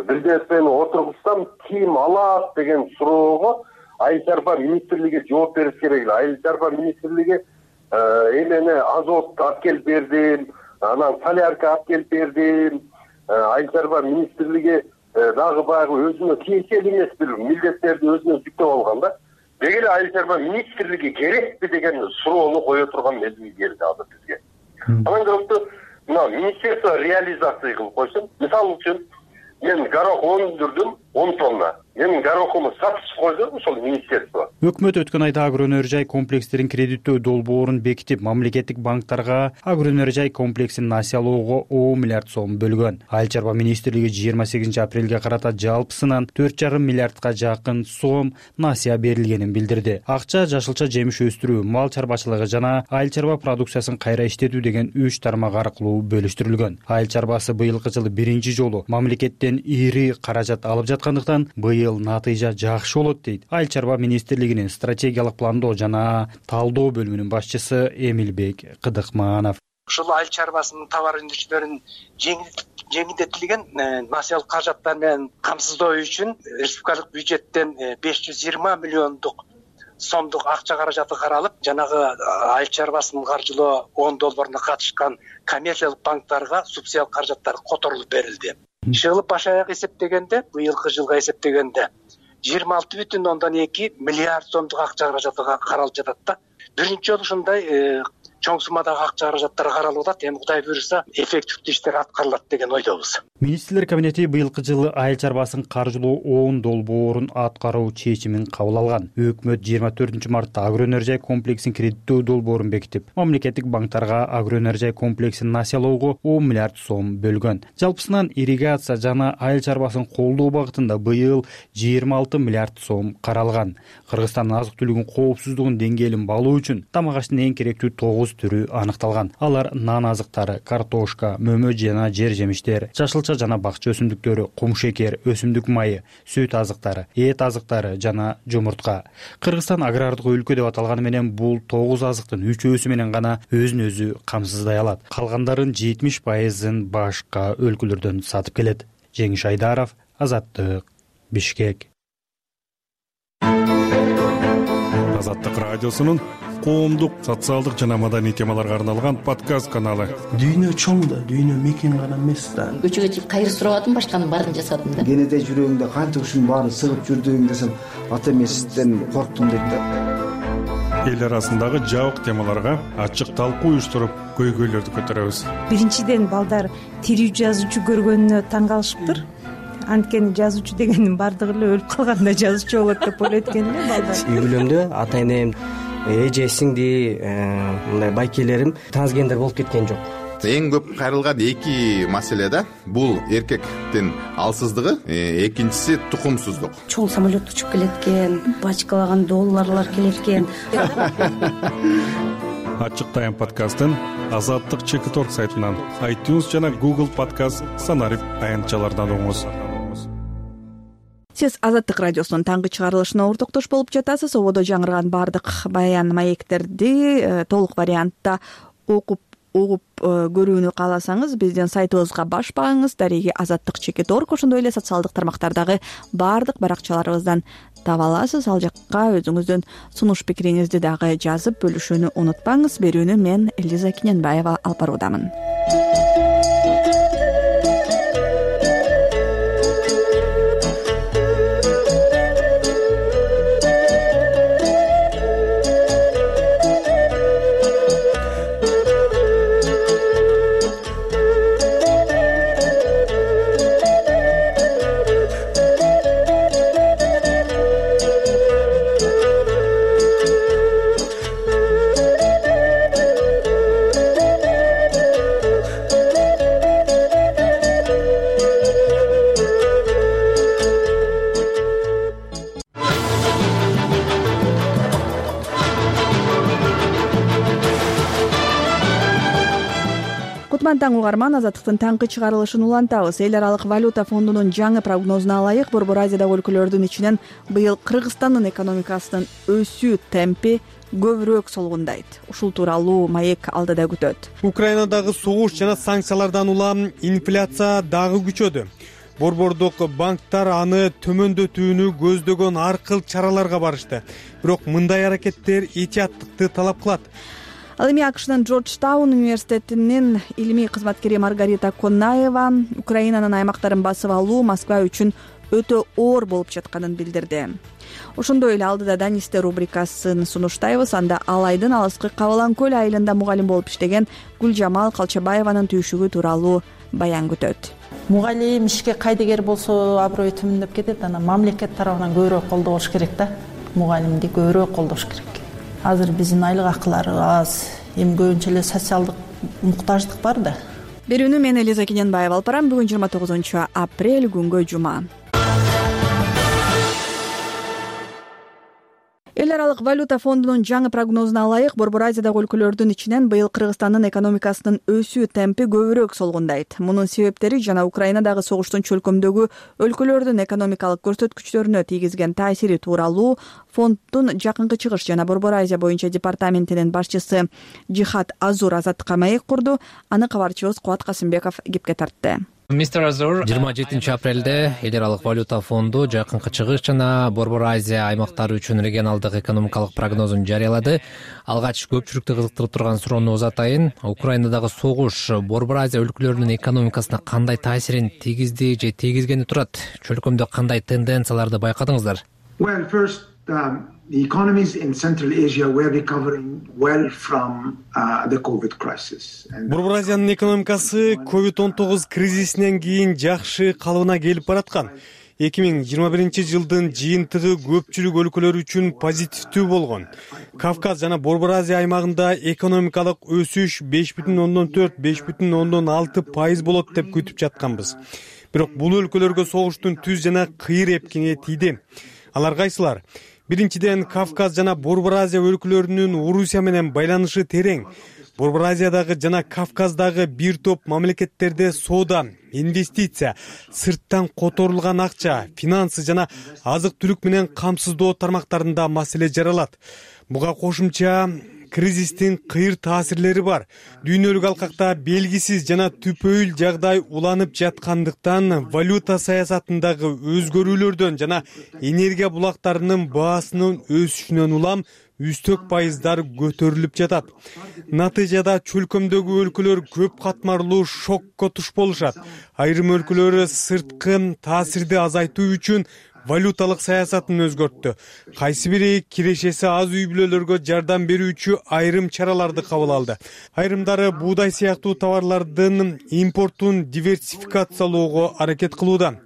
бир нерсени отургузсам ким алат деген суроого айыл чарба министрлиги жооп бериш керек эле. Айыл чарба министрлиги эмени азот алып келип бердим, анан солярка алып келип бердим. Айыл чарба министрлиги дагы баягы өзүнө тиешелүү эмес бир милдеттерди өзүнө жүктөп алган да. Деги эле айыл чарба министрлиги керекпи деген суроону кое турган мезгил келди азыр бизге. Анан көрөктү мына министерство реализация кылып койсун. Мисалы үчүн мен горох өндүрдүм он тонна. Менин горохумду сатып койду ошол министерство. Өкмөт өткөн айда агро өнөр жай комплекстерин кредиттөө долбоорун бекитип, мамлекеттик банктарга агро өнөр жай комплексин насыялоого он миллиард сом бөлгөн. Айыл чарба министрлиги жыйырма сегизинчи апрелге карата жалпысынан төрт жарым миллиардка жакын сом насыя берилгенин билдирди. Акча жашылча жемиш өстүрүү, мал чарбачылыгы жана айыл чарба продукциясын кайра иштетүү деген үч тармак аркылуу бөлүштүрүлгөн. Айыл чарбасы быйылкы жылы биринчи жолу мамлекеттен ири каражат алып жаткандыктан быйыл натыйжа жакшы болот дейт айыл чарба министрлигинин стратегиялык пландоо жана талдоо бөлүмүнүн башчысы Эмилбек Кыдыкманов. Ушул айыл чарбасынын товар өндүрүүчүлөрүн жеңилдетилген насыялык каражаттар менен камсыздоо үчүн республикалык бюджеттен беш жүз жыйырма миллиондук сомдук акча каражаты каралып, жанагы айыл чарбасын каржылоо он долбооруна катышкан коммерциялык банктарга субсидиялык каражаттар которулуп берилди. Жылы баш аяк эсептегенде, быйылкы жылга эсептегенде жыйырма алты бүтүн ондон эки миллиард сомдук акча каражаты каралып жатат да. Биринчи жолу ушундай чоң суммадагы акча каражаттар каралып атат. Эми Кудай буйруса эффективдүү иштер аткарылат деген ойдобуз. Министрлер кабинети быйылкы жылы айыл чарбасын каржылоо он долбоорун аткаруу чечимин кабыл алган. Өкмөт жыйырма төртүнчү мартта агро өнөр жай комплексин кредиттөө долбоорун бекитип, мамлекеттик банктарга агро өнөр жай комплексин насыялоого он миллиард сом бөлгөн. Жалпысынан ирригация жана айыл чарбасын колдоо багытында быйыл жыйырма алты миллиард сом каралган. Кыргызстандын азык түлүгүн коопсуздугун деңгээлин балуу үчүн тамак аштын эң керектүү тогуз түрү аныкталган. Алар нан азыктары, картошка, мөмө жана жер жемиштер, жашылча жана бакча өсүмдүктөрү, кум шекер, өсүмдүк майы, сүт азыктары, эт азыктары жана жумуртка. Кыргызстан агрардык өлкө деп аталганы менен бул тогуз азыктын үчөөсү менен гана өзүн өзү камсыздай алат. Калгандарын жетимиш пайызын башка өлкөлөрдөн сатып келет. Жеңиш Айдаров, Азаттык, Бишкек. Азаттык радиосунун коомдук, социалдык жана маданий темаларга арналган подкаст каналы. Дүйнө чоң да, дүйнө мекен гана эмес да. Көчөгө чыгып кайыр сурабадым, башканын баарын жасадым да. Кенеде жүрөгүңдө канча ушунун баарын сыгып жүрдүң десем, ата эмесизден корктум дейт да. Эл арасындагы жабык темаларга ачык талкуу уюштуруп, көйгөйлөрдү көтөрөбүз. Биринчиден балдар тирүү жазуучу көргөнүнө таң калышыптыр. Анткени жазуучу дегендин бардыгы эле өлүп калганда жазуучу болот деп ойлойт экен эле балдар. Үй бүлөмдө ата энем, эже сиңди, мындай байкелерим трансгендер болуп кеткен жок. Эң көп кайрылган эки маселе да. Бул эркектин алсыздыгы, экинчиси тукумсуздук. Чоң самолет учуп келет экен, бачкалаган долларлар келет экен. Ачык тайм подкастын Азаттык чек точка орг сайтынан, iTunes жана Google подкаст санарип аянтчалардан угуңуз. Сиз Азаттык радиосунун таңкы чыгарылышына ортоктош болуп жатасыз. Ободо жаңырган баардык баян маектерди толук вариантта окуп угуп көрүүнү кааласаңыз биздин сайтыбызга баш багыңыз. Дареги азаттык чекит орг, ошондой эле социалдык тармактардагы баардык баракчаларыбыздан таба аласыз. Ал жакка өзүңүздүн сунуш пикириңизди дагы жазып бөлүшүүнү унутпаңыз. Берүүнү мен Элиза Киненбаева алып баруудамын. Таң угарман, Азаттыктын таңкы чыгарылышын улантабыз. Эл аралык валюта фондунун жаңы прогнозуна ылайык, Борбор Азиядагы өлкөлөрдүн ичинен быйыл Кыргызстандын экономикасынын өсүү темпи көбүрөөк солгундайт. Ушул тууралуу маек алдыда күтөт. Украинадагы согуш жана санкциялардан улам инфляция дагы күчөдү. Борбордук банктар аны төмөндөтүүнү көздөгөн ар кыл чараларга барышты. Бирок мындай аракеттер этияттыкты талап кылат. Ал эми АКШнын Джорджтаун университетинин илимий кызматкери Маргарита Коннаева Украинанын аймактарын басып алуу Москва үчүн өтө оор болуп жатканын билдирди. Ошондой эле алдыда Данисте рубрикасын сунуштайбыз. Анда ал айдын алыскы Кабалан көл айылында мугалим болуп иштеген Гүлжамал Калчабаеванын түйшүгү тууралуу баян күтөт. Мугалим ишке кайдыгер болсо аброю төмөндөп кетет. Анан мамлекет тарабынан көбүрөөк колдоо болуш керек да. Мугалимди көбүрөөк колдош керек. Азыр биздин айлык акылары аз, эми көбүнчө эле социалдык муктаждык бар да. Берүүнү мен Элиза Киненбаева алып барам. Бүгүн жыйырма тогузунчу апрель, күнгө жума. Эл аралык валюта фондунун жаңы прогнозуна ылайык, Борбор Азиядагы өлкөлөрдүн ичинен быйыл Кыргызстандын экономикасынын өсүү темпи көбүрөөк солгундайт. Мунун себептери жана Украинадагы согуштун чөлкөмдөгү өлкөлөрдүн экономикалык көрсөткүчтөрүнө тийгизген таасири тууралуу фонддун жакынкы чыгыш жана Борбор Азия боюнча департаментинин башчысы Жихат Азур Азаттыкка маек курду. Аны кабарчыбыз Кубат Касымбеков кепке тартты. жыйырма жетинчи апрелде эл аралык валюта фонду жакынкы чыгыш жана Борбор Азия аймактары үчүн регионалдык экономикалык прогнозун жарыялады. Алгач көпчүлүктү кызыктырып турган суроону узатайын. Украинадагы согуш Борбор Азия өлкөлөрүнүн экономикасына кандай таасирин тийгизди же тийгизгени турат? Чөлкөмдө кандай тенденцияларды байкадыңыздар? Well, first, um, the economies in Central Asia were recovering well from uh, the COVID crisis. Борбор Азиянын экономикасы ковид он тогуз кризисинен кийин жакшы калыбына келип бараткан. эки миң жыйырма биринчи жылдын жыйынтыгы көпчүлүк өлкөлөр үчүн позитивдүү болгон. Кавказ жана Борбор Азия аймагында экономикалык өсүш беш бүтүн ондон төрт — беш бүтүн ондон алты пайыз болот деп күтүп жатканбыз. Бирок бул өлкөлөргө согуштун түз жана кыйыр эпкени тийди. Алар кайсылар? Биринчиден, Кавказ жана Борбор Азия өлкөлөрүнүн Орусия менен байланышы терең. Борбор Азиядагы жана Кавказдагы бир топ мамлекеттерде соода, инвестиция, сырттан которулган акча, финансы жана азык-түлүк менен камсыздоо тармактарында маселе жаралат. Буга кошумча кризистин кыйыр таасирлери бар. Дүйнөлүк алкакта белгисиз жана түпөйүл жагдай уланып жаткандыктан валюта саясатындагы өзгөрүүлөрдөн жана энергия булактарынын баасынын өсүшүнөн улам үстөк пайыздар көтөрүлүп жатат. Натыйжада чөлкөмдөгү өлкөлөр көп катмарлуу шокко туш болушат. Айрым өлкөлөр сырткы таасирди азайтуу үчүн валюталык саясатын өзгөрттү. Кайсы бири кирешеси аз үй бүлөлөргө жардам берүүчү айрым чараларды кабыл алды. Айрымдары буудай сыяктуу товарлардын импортун диверсификациялоого аракет кылууда.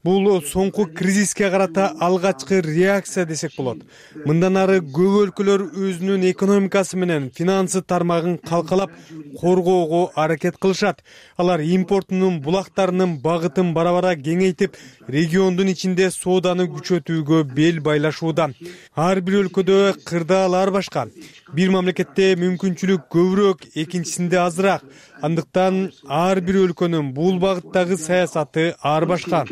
Бул соңку кризиске карата алгачкы реакция десек болот. Мындан ары көп өлкөлөр өзүнүн экономикасы менен финансы тармагын калкалап коргоого аракет кылышат. Алар импортунун булактарынын багытын бара-бара кеңейтип, региондун ичинде сооданы күчөтүүгө бел байлашууда. Ар бир өлкөдө кырдаалар башка. Бир мамлекетте мүмкүнчүлүк көбүрөөк, экинчисинде азыраак. Андыктан ар бир өлкөнүн бул багыттагы саясаты ар башка.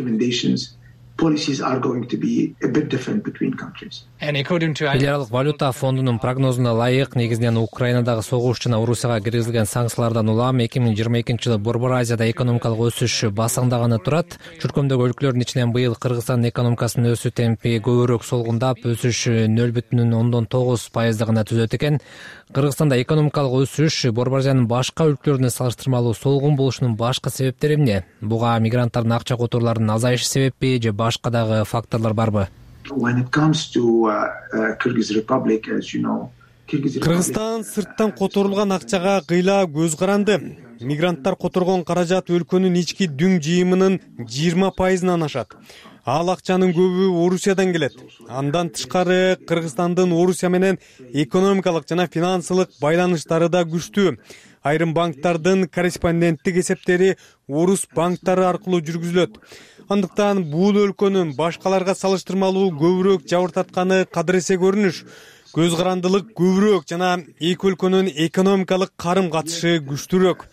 policies are going to be a bit different between countries. эл аралык валюта фондунун прогнозуна ылайык, негизинен Украинадагы согуш жана Орусияга киргизилген санкциялардан улам эки миң жыйырма экинчи жылы Борбор Азияда экономикалык өсүш басаңдаганы турат. Чуркөмдөгү өлкөлөрдүн ичинен быйыл Кыргызстандын экономикасынын өсүү темпи көбүрөөк солгундап, өсүш нөл бүтүн ондон тогуз пайызды гана түзөт экен. Кыргызстанда экономикалык өсүш Борбор Азиянын башка өлкөлөрүнө салыштырмалуу солгун болушунун башкы себептери эмне? Буга мигранттардын акча которууларынын азайышы себеппи же башка дагы факторлор барбы? When it comes to uh, uh, Kyrgyz Republic, as you know, Кыргызстан сырттан которулган акчага кыйла көз каранды. Мигранттар которгон каражат өлкөнүн ички дүң жыйымынын жыйырма пайызынан ашат. Ал акчанын көбү Орусиядан келет. Андан тышкары Кыргызстандын Орусия менен экономикалык жана финансылык байланыштары да күчтүү. Айрым банктардын корреспонденттик эсептери орус банктары аркылуу жүргүзүлөт. Андыктан бул өлкөнүн башкаларга салыштырмалуу көбүрөөк жабыртатканы кадыресе көрүнүш. Көз карандылык көбүрөөк жана эки өлкөнүн экономикалык карым катышы күчтүүрөөк.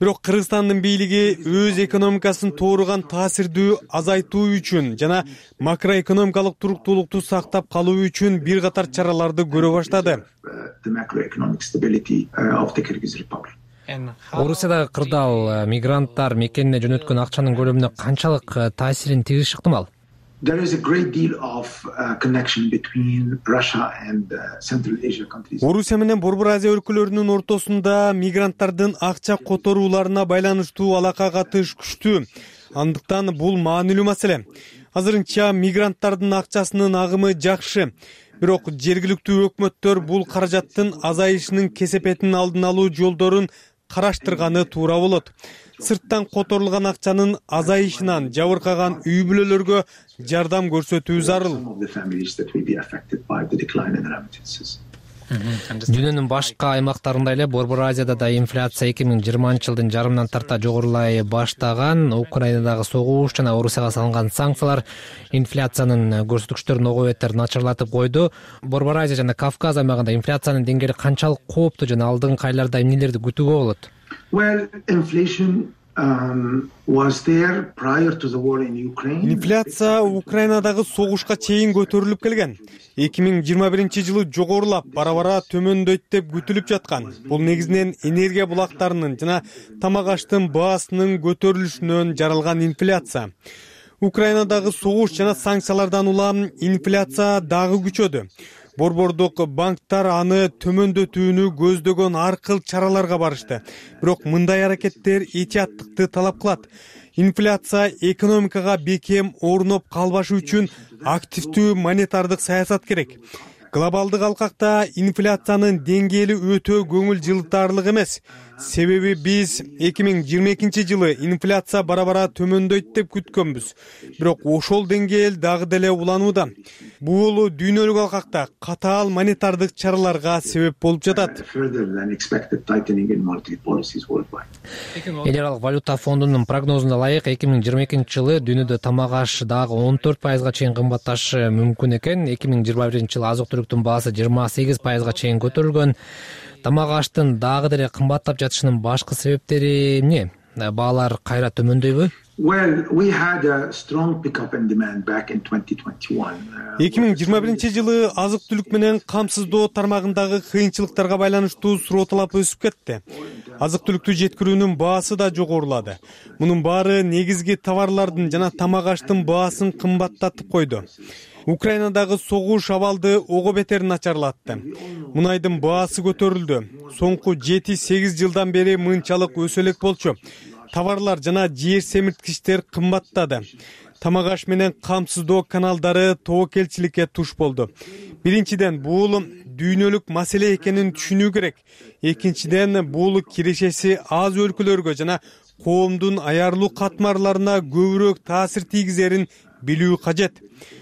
Бирок Кыргызстандын бийлиги өз экономикасын тууруган таасирдүү азайтуу үчүн жана макроэкономикалык туруктуулукту сактап калуу үчүн бир катар чараларды көрө баштады. Орусиядагы кырдаал мигранттар мекенине жөнөткөн акчанын көлөмүнө канчалык таасирин тийгизиши ыктымал? There is a great deal of uh, connection between Russia and uh, Central Asia countries. Орусия менен Борбор Азия өлкөлөрүнүн ортосунда мигранттардын акча которууларына байланыштуу алака катыш күчтүү. Андыктан бул маанилүү маселе. Азырынча мигранттардын акчасынын агымы жакшы. Бирок жергиликтүү өкмөттөр бул каражаттын азайышынын кесепетин алдын алуу жолдорун караштырганы туура болот. Сырттан которулган акчанын азайышынан жабыркаган үй бүлөлөргө жардам көрсөтүү зарыл. Дүйнөнүн башка аймактарында эле Борбор Азияда да инфляция эки миң жыйырманчы жылдын жарымынан тарта жогорулай баштаган. Украинадагы согуш жана Орусияга салынган санкциялар инфляциянын көрсөткүчтөрүн ого бетер начарлатып койду. Борбор Азия жана Кавказ аймагында инфляциянын деңгээли канчалык кооптуу жана алдыңкы айларда эмнелерди күтүүгө болот? Well, inflation um, was there prior to the war in Ukraine. Инфляция Украинадагы согушка чейин көтөрүлүп келген. эки миң жыйырма биринчи жылы жогорулап, бара-бара төмөндөйт деп күтүлүп жаткан. Бул негизинен энергия булактарынын жана тамак аштын баасынын көтөрүлүшүнөн жаралган инфляция. Украинадагы согуш жана санкциялардан улам инфляция дагы күчөдү. Борбордук банктар аны төмөндөтүүнү көздөгөн ар кыл чараларга барышты. Бирок мындай аракеттер этияттыкты талап кылат. Инфляция экономикага бекем орноп калбашы үчүн активдүү монетардык саясат керек. Глобалдык алкакта инфляциянын деңгээли өтө көңүл жылытарлык эмес. Себеби биз эки миң жыйырма экинчи жылы инфляция бара-бара төмөндөйт деп күткөнбүз. Бирок ошол деңгээл дагы деле уланууда. Бул дүйнөлүк алкакта катаал монетардык чараларга себеп болуп жатат. Эл аралык валюта фондунун прогнозуна ылайык эки миң жыйырма экинчи жылы дүйнөдө тамак аш дагы он төрт пайызга чейин кымбатташы мүмкүн экен. эки миң жыйырма биринчи жылы азык-түлүктүн баасы жыйырма сегиз пайызга чейин көтөрүлгөн. Тамак аштын дагы деле кымбаттап жатышынын башкы себептери эмне? Баалар кайра төмөндөйбү? Well, we had a strong pickup in demand back in twenty twenty-one. эки миң жыйырма биринчи жылы азык-түлүк менен камсыздоо тармагындагы кыйынчылыктарга байланыштуу суроо талап өсүп кетти. Азык-түлүктү жеткирүүнүн баасы да жогорулады. Мунун баары негизги товарлардын жана тамак аштын баасын кымбаттатып койду. Украинадагы согуш абалды ого бетер начарлатты. Мунайдын баасы көтөрүлдү. Соңку жети сегиз жылдан бери мынчалык өсө элек болчу. Товарлар жана жер семирткичтер кымбаттады. Тамак аш менен камсыздоо каналдары тобокелчиликке туш болду. Биринчиден бул дүйнөлүк маселе экенин түшүнүү керек. Экинчиден бул кирешеси аз өлкөлөргө жана коомдун аярлуу катмарларына көбүрөөк таасир тийгизерин билүү кажет.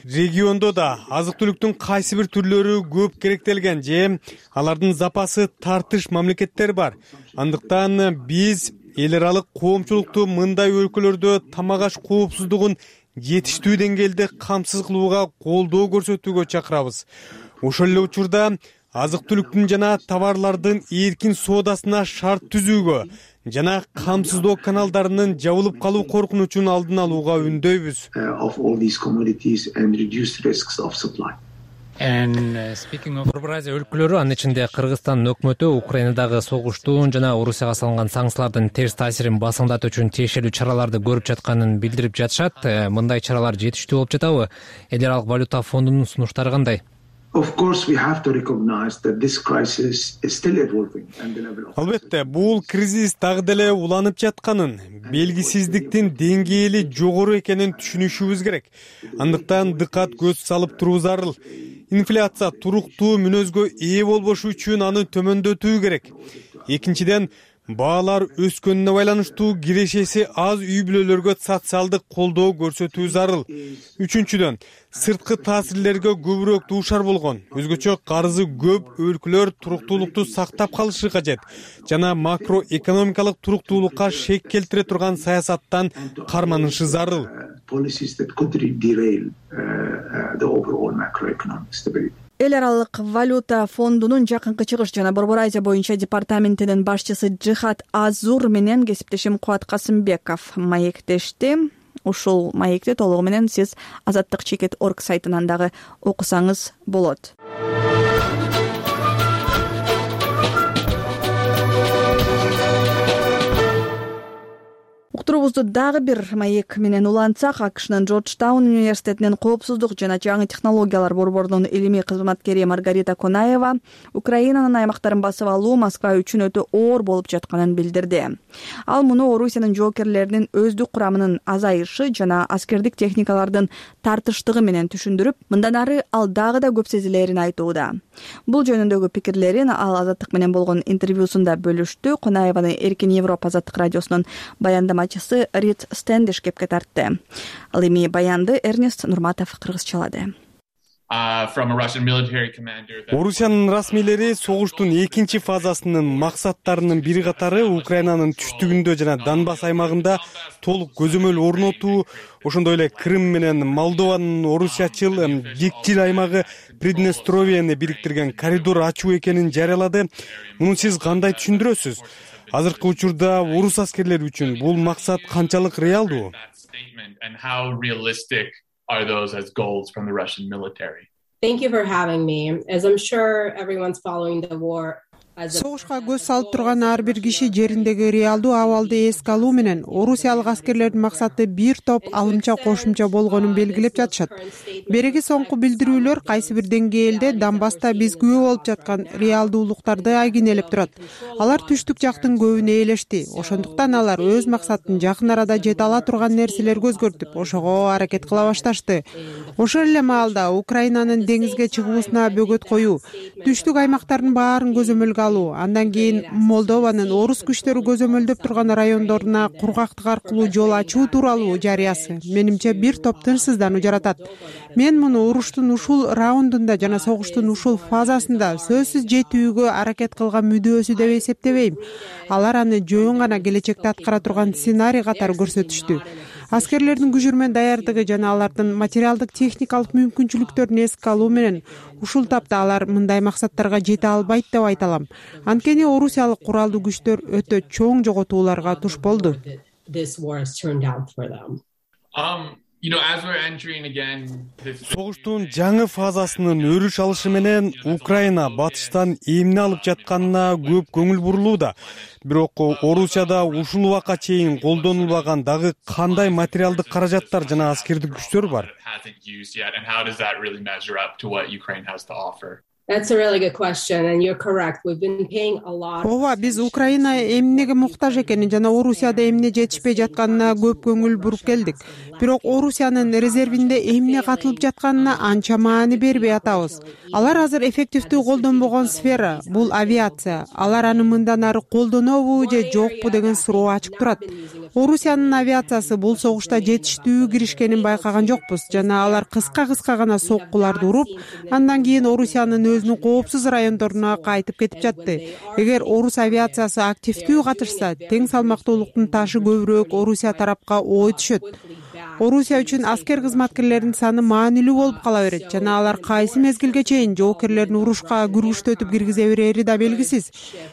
Региондо да азык-түлүктүн кайсы бир түрлөрү көп керектелген же алардын запасы тартыш мамлекеттер бар. Андыктан биз эл аралык коомчулукту мындай өлкөлөрдө тамак аш коопсуздугун жетиштүү деңгээлде камсыз кылууга колдоо көрсөтүүгө чакырабыз. Ошол эле учурда азык түлүктүн жана товарлардын эркин соодасына шарт түзүүгө жана камсыздоо каналдарынын жабылып калуу коркунучун алдын алууга үндөйбүз. Борбор Азия өлкөлөрү, анын ичинде Кыргызстандын өкмөтү Украинадагы согуштун жана Орусияга салынган санкциялардын терс таасирин басыңдатуу үчүн тиешелүү чараларды көрүп жатканын билдирип жатышат. Мындай чаралар жетиштүү болуп жатабы? Эл аралык валюта фондунун сунуштары кандай? Албетте, бул кризис дагы деле уланып жатканын, белгисиздиктин деңгээли жогору экенин түшүнүшүбүз керек. Андыктан дыкат көз салып туруу зарыл. Инфляция туруктуу мүнөзгө ээ болбошу үчүн аны төмөндөтүү керек. Экинчиден, баалар өскөнүнө байланыштуу кирешеси аз үй бүлөлөргө социалдык колдоо көрсөтүү зарыл. Үчүнчүдөн, сырткы таасирлерге көбүрөөк дуушар болгон, өзгөчө карызы көп өлкөлөр туруктуулукту сактап калышы кажет жана макроэкономикалык туруктуулукка шек келтире турган саясаттан карманышы зарыл. Эл аралык валюта фондунун жакынкы чыгыш жана Борбор Азия боюнча департаментинин башчысы Жихат Азур менен кесиптешим Кубат Касымбеков маектешти. Ушул маекти толугу менен сиз азаттык чекит точка орг сайтынан дагы окусаңыз болот. Уктуруубузду дагы бир маек менен улантсак, АКШнын Джорджтаун университетинин коопсуздук жана жаңы технологиялар борборунун илимий кызматкери Маргарита Конаева Украинанын аймактарын басып алуу Москва үчүн өтө оор болуп жатканын билдирди. Ал муну Орусиянын жоокерлеринин өздүк курамынын азайышы жана аскердик техникалардын тартыштыгы менен түшүндүрүп, мындан ары ал дагы да көп сезилерин айтууда. Бул жөнүндөгү пикирлерин ал Азаттык менен болгон интервьюсунда бөлүштү. Конаеваны Эркин Европа Азаттык радиосунун баяндамачысы Рид Стендиш кепке тартты. Ал эми баянды Эрнест Нурматов кыргызчалады. Орусиянын расмийлери согуштун экинчи фазасынын максаттарынын бири катары Украинанын түштүгүндө жана Донбасс аймагында толук көзөмөл орнотуу, ошондой эле Крым менен Молдованын орусиячыл жикчил аймагы Приднестровияны бириктирген коридор ачуу экенин жарыялады. Муну сиз кандай түшүндүрөсүз? Азыркы учурда орус аскерлери үчүн бул максат канчалык реалдуу? Are those as goals from the Russian military? Thank you for having me. As I'm sure everyone's following the war. Согушка көз салып турган ар бир киши жериндеги реалдуу абалды эске алуу менен орусиялык аскерлердин максаты бир топ алымча кошумча болгонун белгилеп жатышат. Береги соңку билдирүүлөр кайсы бир деңгээлде Донбасста биз күбө болуп жаткан реалдуулуктарды айгинелеп турат. Алар түштүк жактын көбүнө ээлешти. Ошондуктан алар өз максатын жакын арада жете ала турган нерселерге өзгөртүп, ошого аракет кыла башташты. Ошол эле маалда Украинанын деңизге чыгуусуна бөгөт коюу, түштүк аймактардын баарын көзөмөлгө алуу, андан кийин Молдованын орус күчтөрү көзөмөлдөп турган райондоруна кургактык аркылуу жол ачуу тууралуу жарыясы менимче бир топ тынчсыздануу жаратат. Мен муну уруштун ушул раундунда жана согуштун ушул фазасында сөзсүз жетүүгө аракет кылган мүдөөсү деп эсептебейм. Алар аны жөн гана келечекте аткара турган сценарий катары көрсөтүштү. Аскерлердин күжүрмөн даярдыгы жана алардын материалдык техникалык мүмкүнчүлүктөрүн эске алуу менен ушул тапта алар мындай максаттарга жете албайт деп айта алам. Анткени орусиялык куралдуу күчтөр өтө чоң жоготууларга туш болду. Согуштун жаңы фазасынын өрүш алышы менен Украина батыштан эмне алып жатканына көп көңүл бурулууда. Бирок Орусияда ушул убакка чейин колдонулбаган дагы кандай материалдык каражаттар жана аскердик күчтөр бар? That's a really good question, and you're correct. We've been paying a lot. Ооба, биз Украина эмнеге муктаж экенин жана Орусияда эмне жетишпей жатканына көп көңүл буруп келдик. Бирок Орусиянын резервинде эмне катылып жатканына анча маани бербей атабыз. Алар азыр эффективдүү колдонбогон сфера, бул авиация. Алар аны мындан ары колдонобу же жокпу деген суроо ачык турат. Орусиянын авиациясы бул согушта жетиштүү киришкенин байкаган жокпуз жана алар кыска-кыска гана соккуларды уруп, андан кийин Орусиянын өзүнүн коопсуз райондоруна кайтып кетип жатты. Эгер орус авиациясы активдүү катышса, тең салмактуулуктун ташы көбүрөөк Орусия тарапка ой түшөт. Орусия үчүн аскер кызматкерлеринин саны маанилүү болуп кала берет жана алар кайсы мезгилге чейин жоокерлерин урушка күрүштөтүп киргизе берери да белгисиз.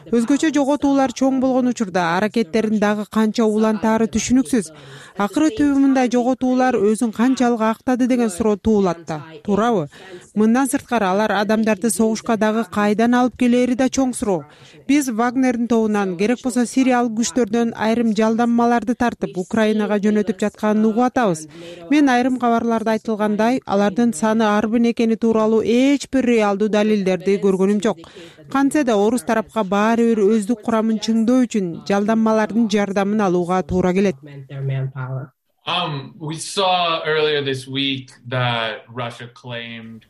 Өзгөчө жоготуулар чоң болгон учурда аракеттерин дагы канча улантаары түшүнүксүз. Акыры түбү мындай жоготуулар өзүн канчалык актады деген суроо туулат да, туурабы? Мындан сырткары алар адамдарды согушка дагы кайдан алып келери да чоң суроо. Биз Вагнердин тобунан, керек болсо сириялык күчтөрдөн айрым жалданмаларды тартып Украинага жөнөтүп жатканын угуп атабыз. Мен айрым кабарларда айтылгандай, алардын саны арбын экени тууралуу эч бир реалдуу далилдерди көргөнүм жок. Кантсе да орус тарапка баары бир өздүк курамын чыңдоо үчүн жалданмалардын жардамын алууга туура келет.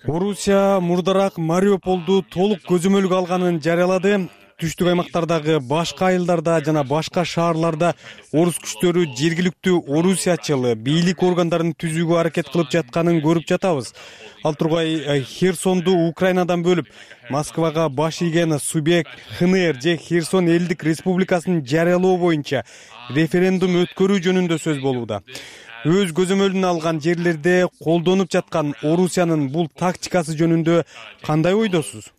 Орусия мурдараак Мариуполду толук көзөмөлгө алганын жарыялады. Түштүк аймактардагы башка айылдарда жана башка шаарларда орус күчтөрү жергиликтүү орусиячыл бийлик органдарын түзүүгө аракет кылып жатканын көрүп жатабыз. Ал тургай Херсонду Украинадан бөлүп, Москвага баш ийген субъект ХНР же Херсон элдик республикасын жарыялоо боюнча референдум өткөрүү жөнүндө сөз болууда. Өз көзөмөлүнө алган жерлерде колдонуп жаткан Орусиянын бул тактикасы жөнүндө кандай ойдосуз?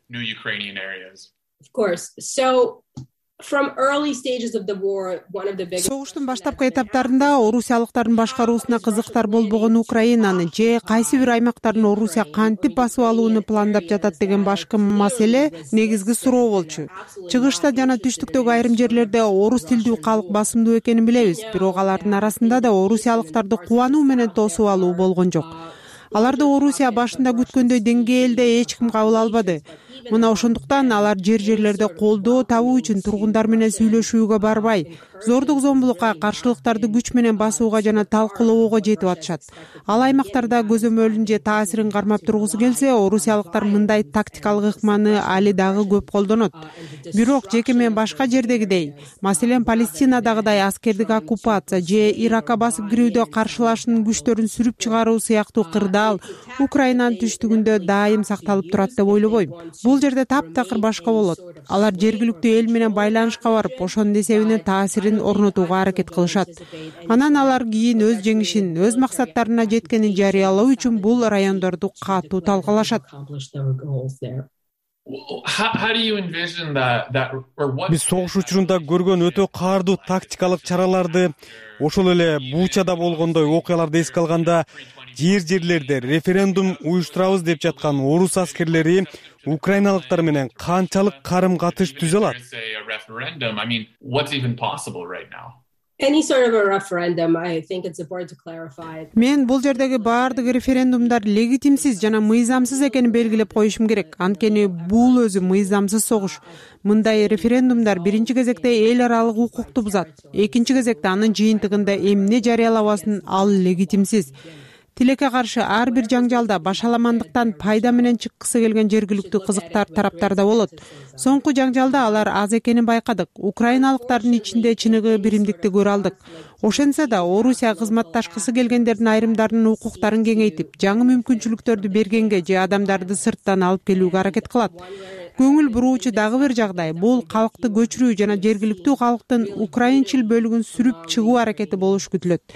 Согуштун баштапкы этаптарында орусиялыктардын башкаруусуна кызыктар болбогон Украинаны же кайсы бир аймактарын Орусия кантип басып алууну пландап жатат деген башкы маселе негизги суроо болчу. Чыгышта жана түштүктөгү айрым жерлерде орус тилдүү калк басымдуу экенин билебиз, бирок алардын арасында да орусиялыктарды кубануу менен тосуп алуу болгон жок. Аларды Орусия башында күткөндөй деңгээлде эч ким кабыл албады. Мына ошондуктан алар жер-жерлерде колдоо табуу үчүн тургундар менен сүйлөшүүгө барбай, зордук зомбулукка, каршылыктарды күч менен басууга жана талкуулоого жетип атышат. Ал аймактарда көзөмөлүн же таасирин кармап тургусу келсе, орусиялыктар мындай тактикалык ыкманы али дагы көп колдонот. Бирок жеке мен башка жердегидей, маселен Палестинадагыдай аскердик оккупация же Иракка басып кирүүдө каршылашуунун күчтөрүн сүрүп чыгаруу сыяктуу кырдаал Украинанын түштүгүндө дайым сакталып турат деп ойлобойм. Бул жерде таптакыр башка болот. Алар жергиликтүү эл менен байланышка барып, ошонун эсебинен таасирин орнотууга аракет кылышат. Анан алар кийин өз жеңишин, өз максаттарына жеткенин жарыялоо үчүн бул райондорду катуу талкалашат. Биз согуш учурунда көргөн өтө каардуу тактикалык чараларды, ошол эле Бучада болгондой окуяларды эске алганда, жер-жерлерде референдум уюштурабыз деп жаткан орус аскерлери украиналыктар менен канчалык карым-катыш түзө алат? Мен бул жердеги баардык референдумдар легитимсиз жана мыйзамсыз экенин белгилеп коюшум керек. Анткени бул өзү мыйзамсыз согуш. Мындай референдумдар биринчи кезекте эл аралык укукту бузат. Экинчи кезекте анын жыйынтыгында эмне жарыялабасын ал легитимсиз. Тилекке каршы ар бир жаңжалда башаламандыктан пайда менен чыккысы келген жергиликтүү кызыктар тараптарда болот. Соңку жаңжалда алар аз экенин байкадык. Украиналыктардын ичинде чыныгы биримдикти көрө алдык. Ошентсе да Орусия кызматташкысы келгендердин айрымдарынын укуктарын кеңейтип, жаңы мүмкүнчүлүктөрдү бергенге же адамдарды сырттан алып келүүгө аракет кылат. Көңүл буруучу дагы бир жагдай бул калкты көчүрүү жана жергиликтүү калктын украинчил бөлүгүн сүрүп чыгуу аракети болушу күтүлөт.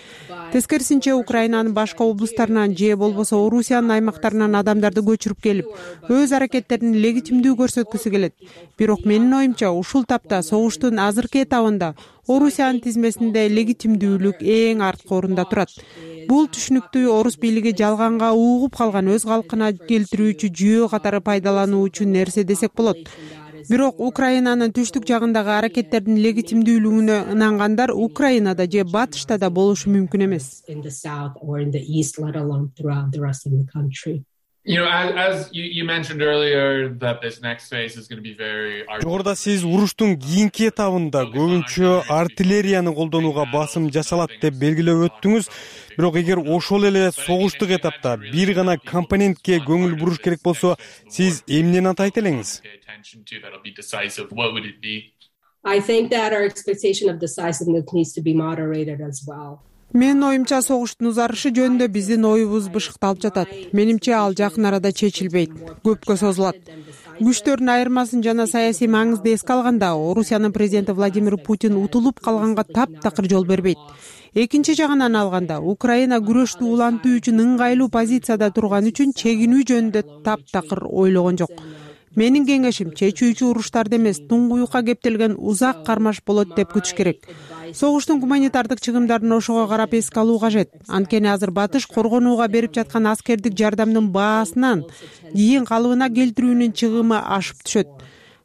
Тескерисинче Украинанын башка облустарынан же болбосо Орусиянын аймактарынан адамдарды көчүрүп келип, өз аракеттерин легитимдүү көрсөткүсү келет. Бирок менин оюмча ушул тапта согуштун азыркы этабында Орусиянын тизмесинде легитимдүүлүк эң арткы орунда турат. Бул түшүнүктүү орус бийлиги жалганга угуп калган өз калкына келтирүүчү жүйө катары пайдалануу үчүн нерсе десек болот. Бирок Украинанын түштүк жагындагы аракеттердин легитимдүүлүгүнө ынангандар Украинада же батышта да болушу мүмкүн эмес. Жогоруда сиз уруштун кийинки этабында көбүнчө артиллерияны колдонууга басым жасалат деп белгилеп өттүңүз. Бирок эгер ошол эле согуштук этапта бир гана компонентке көңүл буруш керек болсо, сиз эмнени атайт элеңиз? Менин оюмча согуштун узарышы жөнүндө биздин оюбуз бышыкталып жатат. Менимче ал жакын арада чечилбейт, көпкө созулат. Күчтөрдүн айырмасын жана саясий маңызды эске алганда, Орусиянын президенти Владимир Путин утулуп калганга таптакыр жол бербейт. экинчи жагынан алганда Украина күрөштү улантуу үчүн ыңгайлуу позицияда турган үчүн чегинүү жөнүндө таптакыр ойлогон жок. Менин кеңешим чечүүчү уруштарды эмес, туңгуюкка кептелген узак кармаш болот деп күтүш керек. Согуштун гуманитардык чыгымдарын ошого карап эске алуу кажет. Анткени азыр батыш коргонууга берип жаткан аскердик жардамдын баасынан кийин калыбына келтирүүнүн чыгымы ашып түшөт.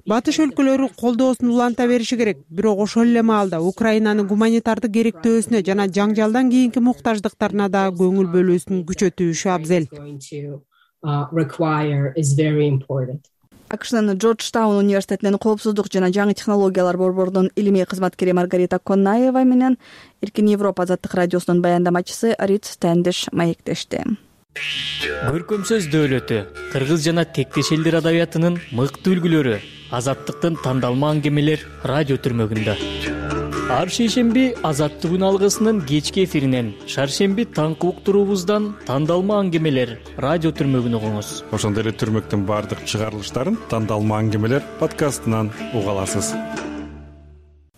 Батыш өлкөлөрү колдоосун уланта бериши керек, бирок ошол эле маалда Украинанын гуманитардык керектөөсүнө жана жаңжалдан кийинки муктаждыктарына да көңүл бөлүүсүн күчөтүшү абзел. акшнын Джорджтаун университетинин коопсуздук жана жаңы технологиялар борборунун илимий кызматкери Маргарита Коннаева менен Эркин Европа азаттык радиосунун баяндамачысы Рит Стендиш маектешти. Көркөм сөз дөөлөтү, кыргыз жана тектеш элдер адабиятынын мыкты үлгүлөрү, азаттыктын тандалма аңгемелер радио түрмөгүндө. Ар шейшемби азаттык үн алгысынын кечки эфиринен, шаршемби таңкы уктуруубуздан тандалма аңгемелер радио түрмөгүн угуңуз. Ошондой эле түрмөктүн баардык чыгарылыштарын тандалма аңгемелер подкастынан уга аласыз.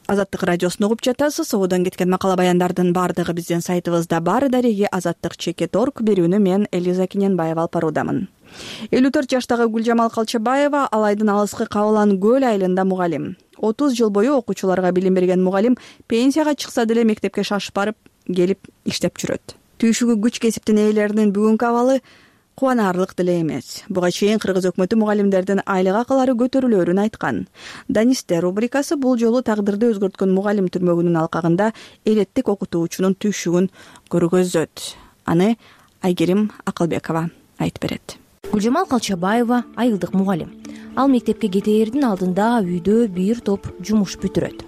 Азаттык радиосун угуп жатасыз. Ободон кеткен макала баяндардын баардыгы биздин сайтыбызда бар. Дареги азаттык чекит орг берүүнү мен Элиза Киненбаева алып баруудамын. элүү төрт жаштагы Гүлжамал Калчабаева Алайдын алыскы Кабылан көл айылында мугалим. отуз жыл бою окуучуларга билим берген мугалим пенсияга чыкса деле мектепке шашып барып келип иштеп жүрөт. Түйшүгү күч кесиптин ээлеринин бүгүнкү абалы кубанаарлык деле эмес. Буга чейин кыргыз өкмөтү мугалимдердин айлык акылары көтөрүлөөрүн айткан. Данисте рубрикасы бул жолу тагдырды өзгөрткөн мугалим түрмөгүнүн алкагында элеттик окутуучунун түйшүгүн көргөзөт. Аны Айгерим Акылбекова айтып берет. Гүлжамал Калчабаева айылдык мугалим. Ал мектепке кетээрдин алдында үйдө бир топ жумуш бүтүрөт.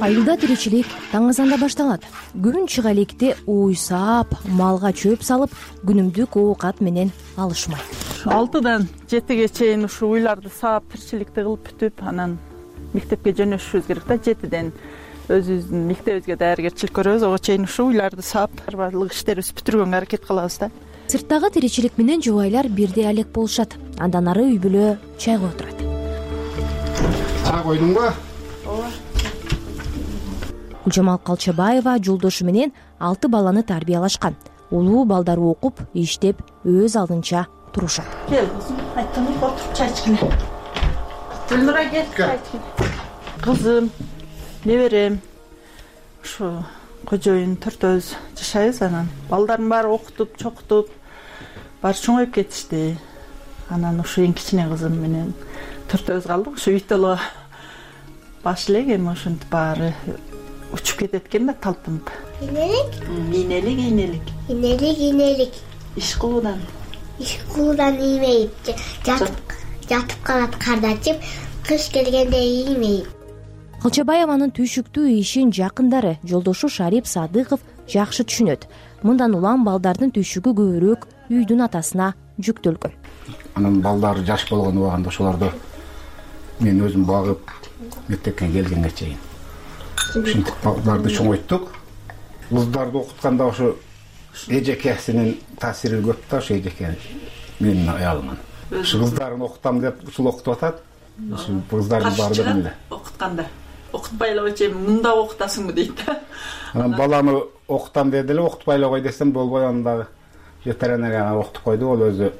Айылда тиричилик таң азанда башталат. Күн чыга электе уй саап, малга чөп салып, күнүмдүк оокат менен алышмайт. алтыдан жетиге чейин ушу уйларды саап, тиричиликти кылып бүтүп, анан мектепке жөнөшүшүбүз керек да. жетиден өзүбүздүн мектебибизге даяргерчилик көрөбүз. Ого чейин ушу уйларды саап, баардык иштерибизди бүтүргөнгө аракет кылабыз да. Сырттагы тиричилик менен жубайлар бирдей алек болушат. Андан ары үй бүлө чайга отурат. Чай койдуңбу? Ооба. Гүлжамал Калчабаева жолдошу менен алты баланы тарбиялашкан. Улуу балдары окуп, иштеп, өз алдынча турушат. Кел, айттым, отуруп чай ичкиле. Гүлнура кел, чай ичкиле. Кызым, неберем, ушу кожоюн төртөөбүз жашайбыз. Анан балдардын баары окутуп, чокутуп, баары чоңоюп кетишти. Анан ушу эң кичине кызым менен төртөөбүз калдык. Ушу үйтөлгө баш элек, эми ошентип баары учуп кетет экен да, талпынып. Инелик? Инелик, инелик. Инелик, инелик. Иш кылуудан. Иш кылуудан иймейт. Жатып, жатып калат кардачып, кыш келгенде иймейт. Калчабаеванын түйшүктүү ишин жакындары, жолдошу Шарип Садыков жакшы түшүнөт. Мындан улам балдардын түйшүгү көбүрөөк үйдүн атасына жүктөлгөн. Анан балдары жаш болгон убагында ошолорду мен өзүм багып, мектепке келгенге чейин ушинтип балдарды чоңойттук. Кыздарды окутканда ошо эжекесинин таасири көп да, ошо эжеке менин аялымын. Ушу кыздарын окутам деп ушул окутуп атат. Ушу кыздардын баары эле окутканда. Окутпай эле койчу, мында окутасыңбы дейт да. Анан баланы окутам деди эле, окутпай эле кой десем болбой, анан дагы ветеринарияга окутуп койду. Ол өзү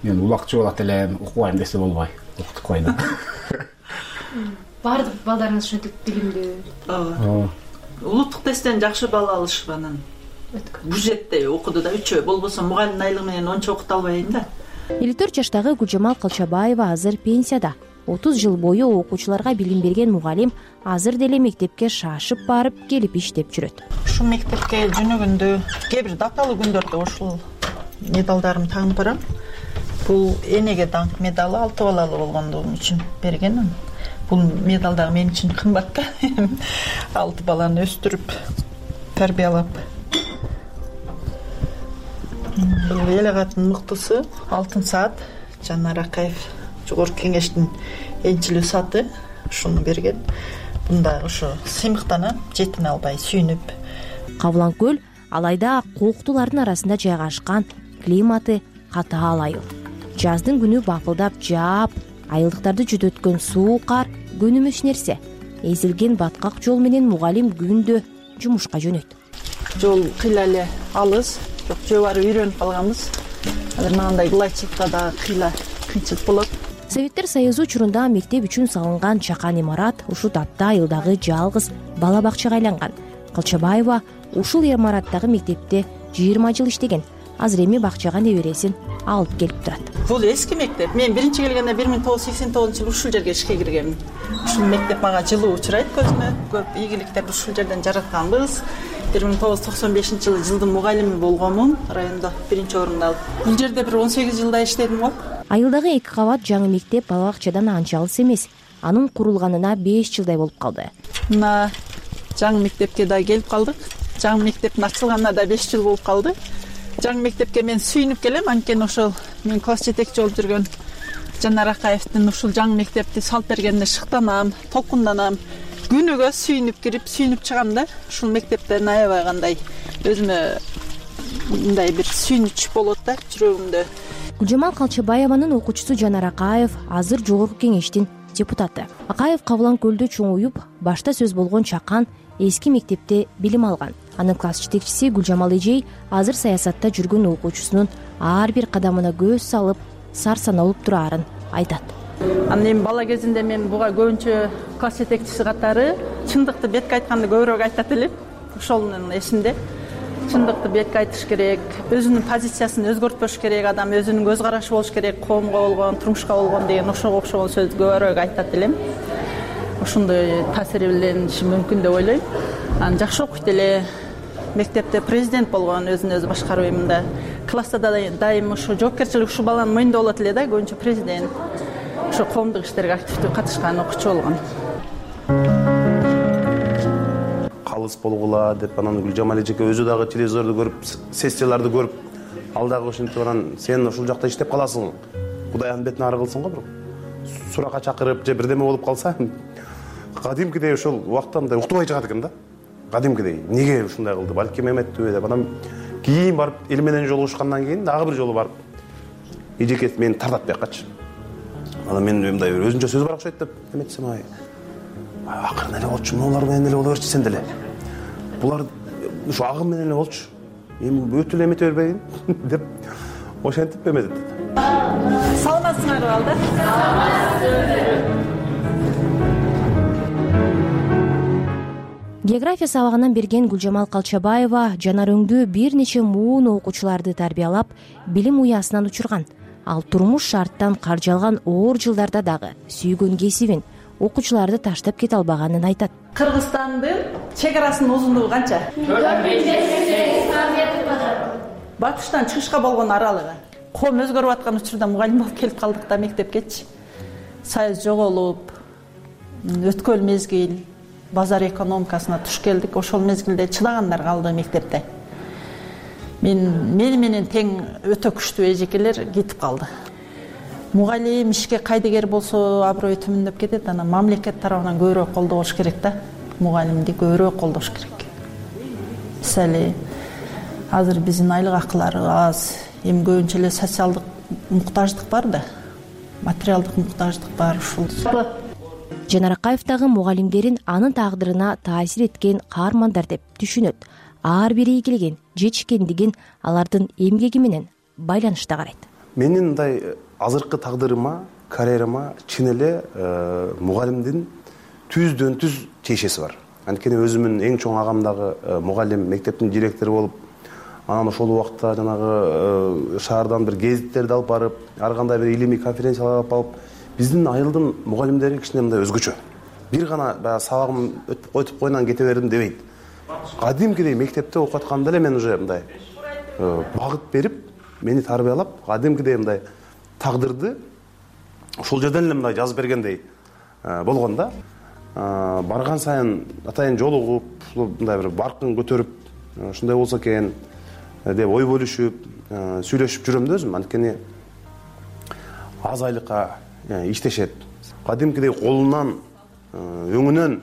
мен улакчы болот элем, окубайм десе болбой, окутуп койду. Баардык балдарыңыз ушинтип билимдүү. Ооба. Улуттук тесттен жакшы балл алышып, анан бюджетте окуду да, үчөө болбосо мугалимдин айлыгы менен ончо окута албайм да. элүү төрт жаштагы Гүлжамал Калчабаева азыр пенсияда. отуз жыл бою окуучуларга билим берген мугалим азыр деле мектепке шашып барып келип иштеп жүрөт. Ушу мектепке жөнөгөндө кээ бир даталуу күндөрдө ушул медалдарымды тагынып барам. Бул энеге даңк медалы алты балалуу болгондугум үчүн берген. Бул медал дагы мен үчүн кымбат да. алты баланы өстүрүп, тарбиялап. Бул эл агаттын мыктысы Алтын саат Жанар Акаев жогорку кеңештин энчилүү сааты ушуну берген. Бунда ошо сыймыктанып, жетине албай сүйүнүп. Кабылан көл Алайда кооктулардын арасында жайгашкан, климаты катаал айыл. Жаздын күнү бапылдап жаап, айылдыктарды жүдөткөн суу кар көнүмүш нерсе. Эзилген баткак жол менен мугалим күндө жумушка жөнөйт. Жол кыйла эле алыс, бирок жөө бары үйрөнүп калганбыз. Азыр мынандай глайчикта да кыйла кыйынчылык болот. Советтер Союзу учурунда мектеп үчүн салынган чакан имарат ушул тапта айылдагы жалгыз бала бакчага айланган. Калчабаева ушул имараттагы мектепте жыйырма жыл иштеген. Азыр эми бакчага небересин алып келип турат. Бул эски мектеп. Мен биринчи келгенде бир миң тогуз жүз сексен тогузунчу жылы ушул жерге ишке киргенмин. Ушул мектеп мага жылуу учурайт көзүмө. Көп ийгиликтерди ушул жерден жаратканбыз. бир миң тогуз жүз токсон бешинчи жылы жылдын мугалими болгонмун, райондо биринчи орунду алып. Бул жерде бир он сегиз жылдай иштедим го. Айылдагы эки кабат жаңы мектеп бала бакчадан анча алыс эмес. Анын курулганына беш жылдай болуп калды. Мына жаңы мектепке да келип калдык. Жаңы мектептин ачылганына да беш жыл болуп калды. Жаңы мектепке мен сүйүнүп келем, анткени ошол мен класс жетекчи болуп жүргөн Жанар Акаевдин ушул жаңы мектепти салып бергенине шыктанам, толкунданам. Күнүгө сүйүнүп кирип, сүйүнүп чыгам да. Ушул мектептен аябай кандай өзүмө мындай бир сүйүнүч болот да жүрөгүмдө. Гүлжамал Калчабаеванын окуучусу Жанар Акаев азыр жогорку кеңештин депутаты. Акаев Кабылан көлдө чоңуюп, башта сөз болгон чакан эски мектепте билим алган. Анын класс жетекчиси Гүлжамал эжей азыр саясатта жүргөн окуучусунун ар бир кадамына көз салып, сар саналып турарын айтат. Анан эми бала кезинде мен буга көбүнчө класс жетекчиси катары чындыкты бетке айтканды көбүрөөк айтат элем. Ошонун эсимде. Чындыкты бетке айтыш керек, өзүнүн позициясын өзгөртпөш керек, адам өзүнүн көз карашы болуш керек, коомго болгон, турмушка болгон деген ошого окшогон сөздү көбүрөөк айтат элем. Ошондой таасири билениши мүмкүн деп ойлойм. Анан жакшы окуйт эле. Мектепте президент болгон, өзүн өзү башкарып мында. Класста да дайым ушу жоопкерчилик ушул баланын мойнунда болот эле да, көбүнчө президент. Ошо коомдук иштерге активдүү катышкан окуучу болгон. Калыс болгула деп анан Гүлжамал эжеке өзү дагы телевизорду көрүп, сессияларды көрүп, ал дагы ошентип анан сен ушул жакта иштеп каласың. Кудай анын бетин ары кылсын го бирок. Суракка чакырып же бирдеме болуп калса, кадимкидей ошол убакта мындай уктубай чыгат экен да. Кадимкидей эмнеге ушундай кылды, балки эметпи деп анан кийин барып эл менен жолугушкандан кийин дагы бир жолу барып эжеке мени тартат биякачы. Анан мен мындай өзүнчө сөз бар окшойт деп эметсем, ай акырын эле болчу, мунулар менен эле боло берчи сен деле. Булар ушу агым менен эле болчу. Эми өтө эле эмете бербейин деп ошентип эметет. Саламатсыңарбы алда? География сабагынан берген Гүлжамал Калчабаева жанар өңдүү бир нече муун окуучуларды тарбиялап, билим уясынан учурган. Ал турмуш шарттан каржалган оор жылдарда дагы сүйгөн кесибин, окуучуларды таштап кете албаганын айтат. Кыргызстандын чек арасынын узундугу канча? төрт миң жети жүз сексен метр. Батыштан чыгышка болгон аралыгы. Коом өзгөрүп аткан учурда мугалим болуп келип калдык да мектепкечи. Союз жоголуп, өткөл мезгил, базар экономикасына туш келдик. Ошол мезгилде чыдагандар калды мектепте. Мен мени менен тең өтө күчтүү эжекелер кетип калды. Мугалим ишке кайдыгер болсо аброй төмөндөп кетет. Анан мамлекет тарабынан көбүрөөк колдош керек да. Мугалимди көбүрөөк колдош керек. Мисалы, азыр биздин айлык акылары аз, эми көбүнчө эле социалдык муктаждык бар да. Материалдык муктаждык бар ушул. Жанар Акаевдагы мугалимдерин анын тагдырына таасир эткен каармандар деп түшүнөт. Ар бири ийгилигин, жетишкендигин алардын эмгеги менен байланышта карайт. Менин мындай азыркы тагдырыма, карьерама чын эле мугалимдин түздөн түз тиешеси бар. Анткени өзүмүн эң чоң агам дагы мугалим, мектептин директору болуп, анан ошол убакта жанагы шаардан бир гезиттерди алып барып, ар кандай бир илимий конференциялар алып алып, биздин айылдын мугалимдери кичине мындай өзгөчө. Бир гана баягы сабагым өтүп койгондон кете бердим дебейт. Кадимкидей мектепте окуп атканда эле мен уже мындай багыт берип, мени тарбиялап, кадимкидей мындай тагдырды ошол жерден эле мындай жазып бергендей болгон да. Барган сайын атайын жолугуп, мындай бир баркын көтөрүп, ушундай болсо экен деп ой бөлүшүп, сүйлөшүп жүрөм да өзүм. Анткени аз айлыкка иштешет. Кадимкидей колунан, өңүнөн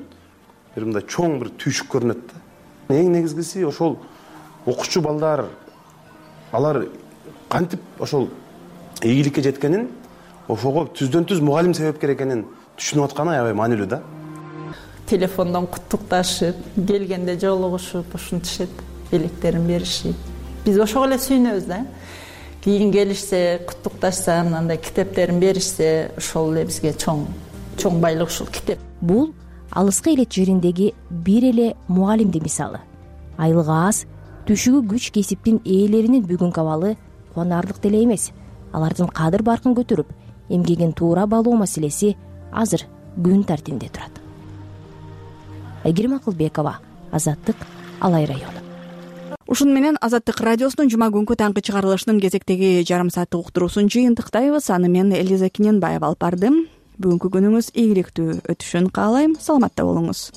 бир мындай чоң бир түйшүк көрүнөт да. Эң негизгиси ошол окуучу балдар, алар кантип ошол ийгиликке жеткенин, ошого түздөн түз мугалим себепкер экенин түшүнүп атканы аябай маанилүү да. Телефондон куттукташып, келгенде жолугушуп, ушинтишет, белектерин беришип. Биз ошого эле сүйүнөбүз да. Кийин келишсе, куттукташса, мындай китептерин беришсе, ошол эле бизге чоң чоң байлык ушул китеп. Бул алыскы элет жериндеги бир эле мугалимдин мисалы. Айлыгы аз, түшүгү күч кесиптин ээлеринин бүгүнкү абалы кубанарлык деле эмес. Алардын кадыр баркын көтөрүп, эмгегин туура баалоо маселеси азыр күн тартибинде турат. Айгерим Акылбекова, Азаттык, Алай району. Ушуну менен Азаттык радиосунун жума күнкү таңкы чыгарылышынын кезектеги жарым сааттык уктуруусун жыйынтыктайбыз. Аны мен Элиза Кененбаева алып бардым. Бүгүнкү күнүңүз ийгиликтүү өтүшүн каалайм. Саламатта болуңуз.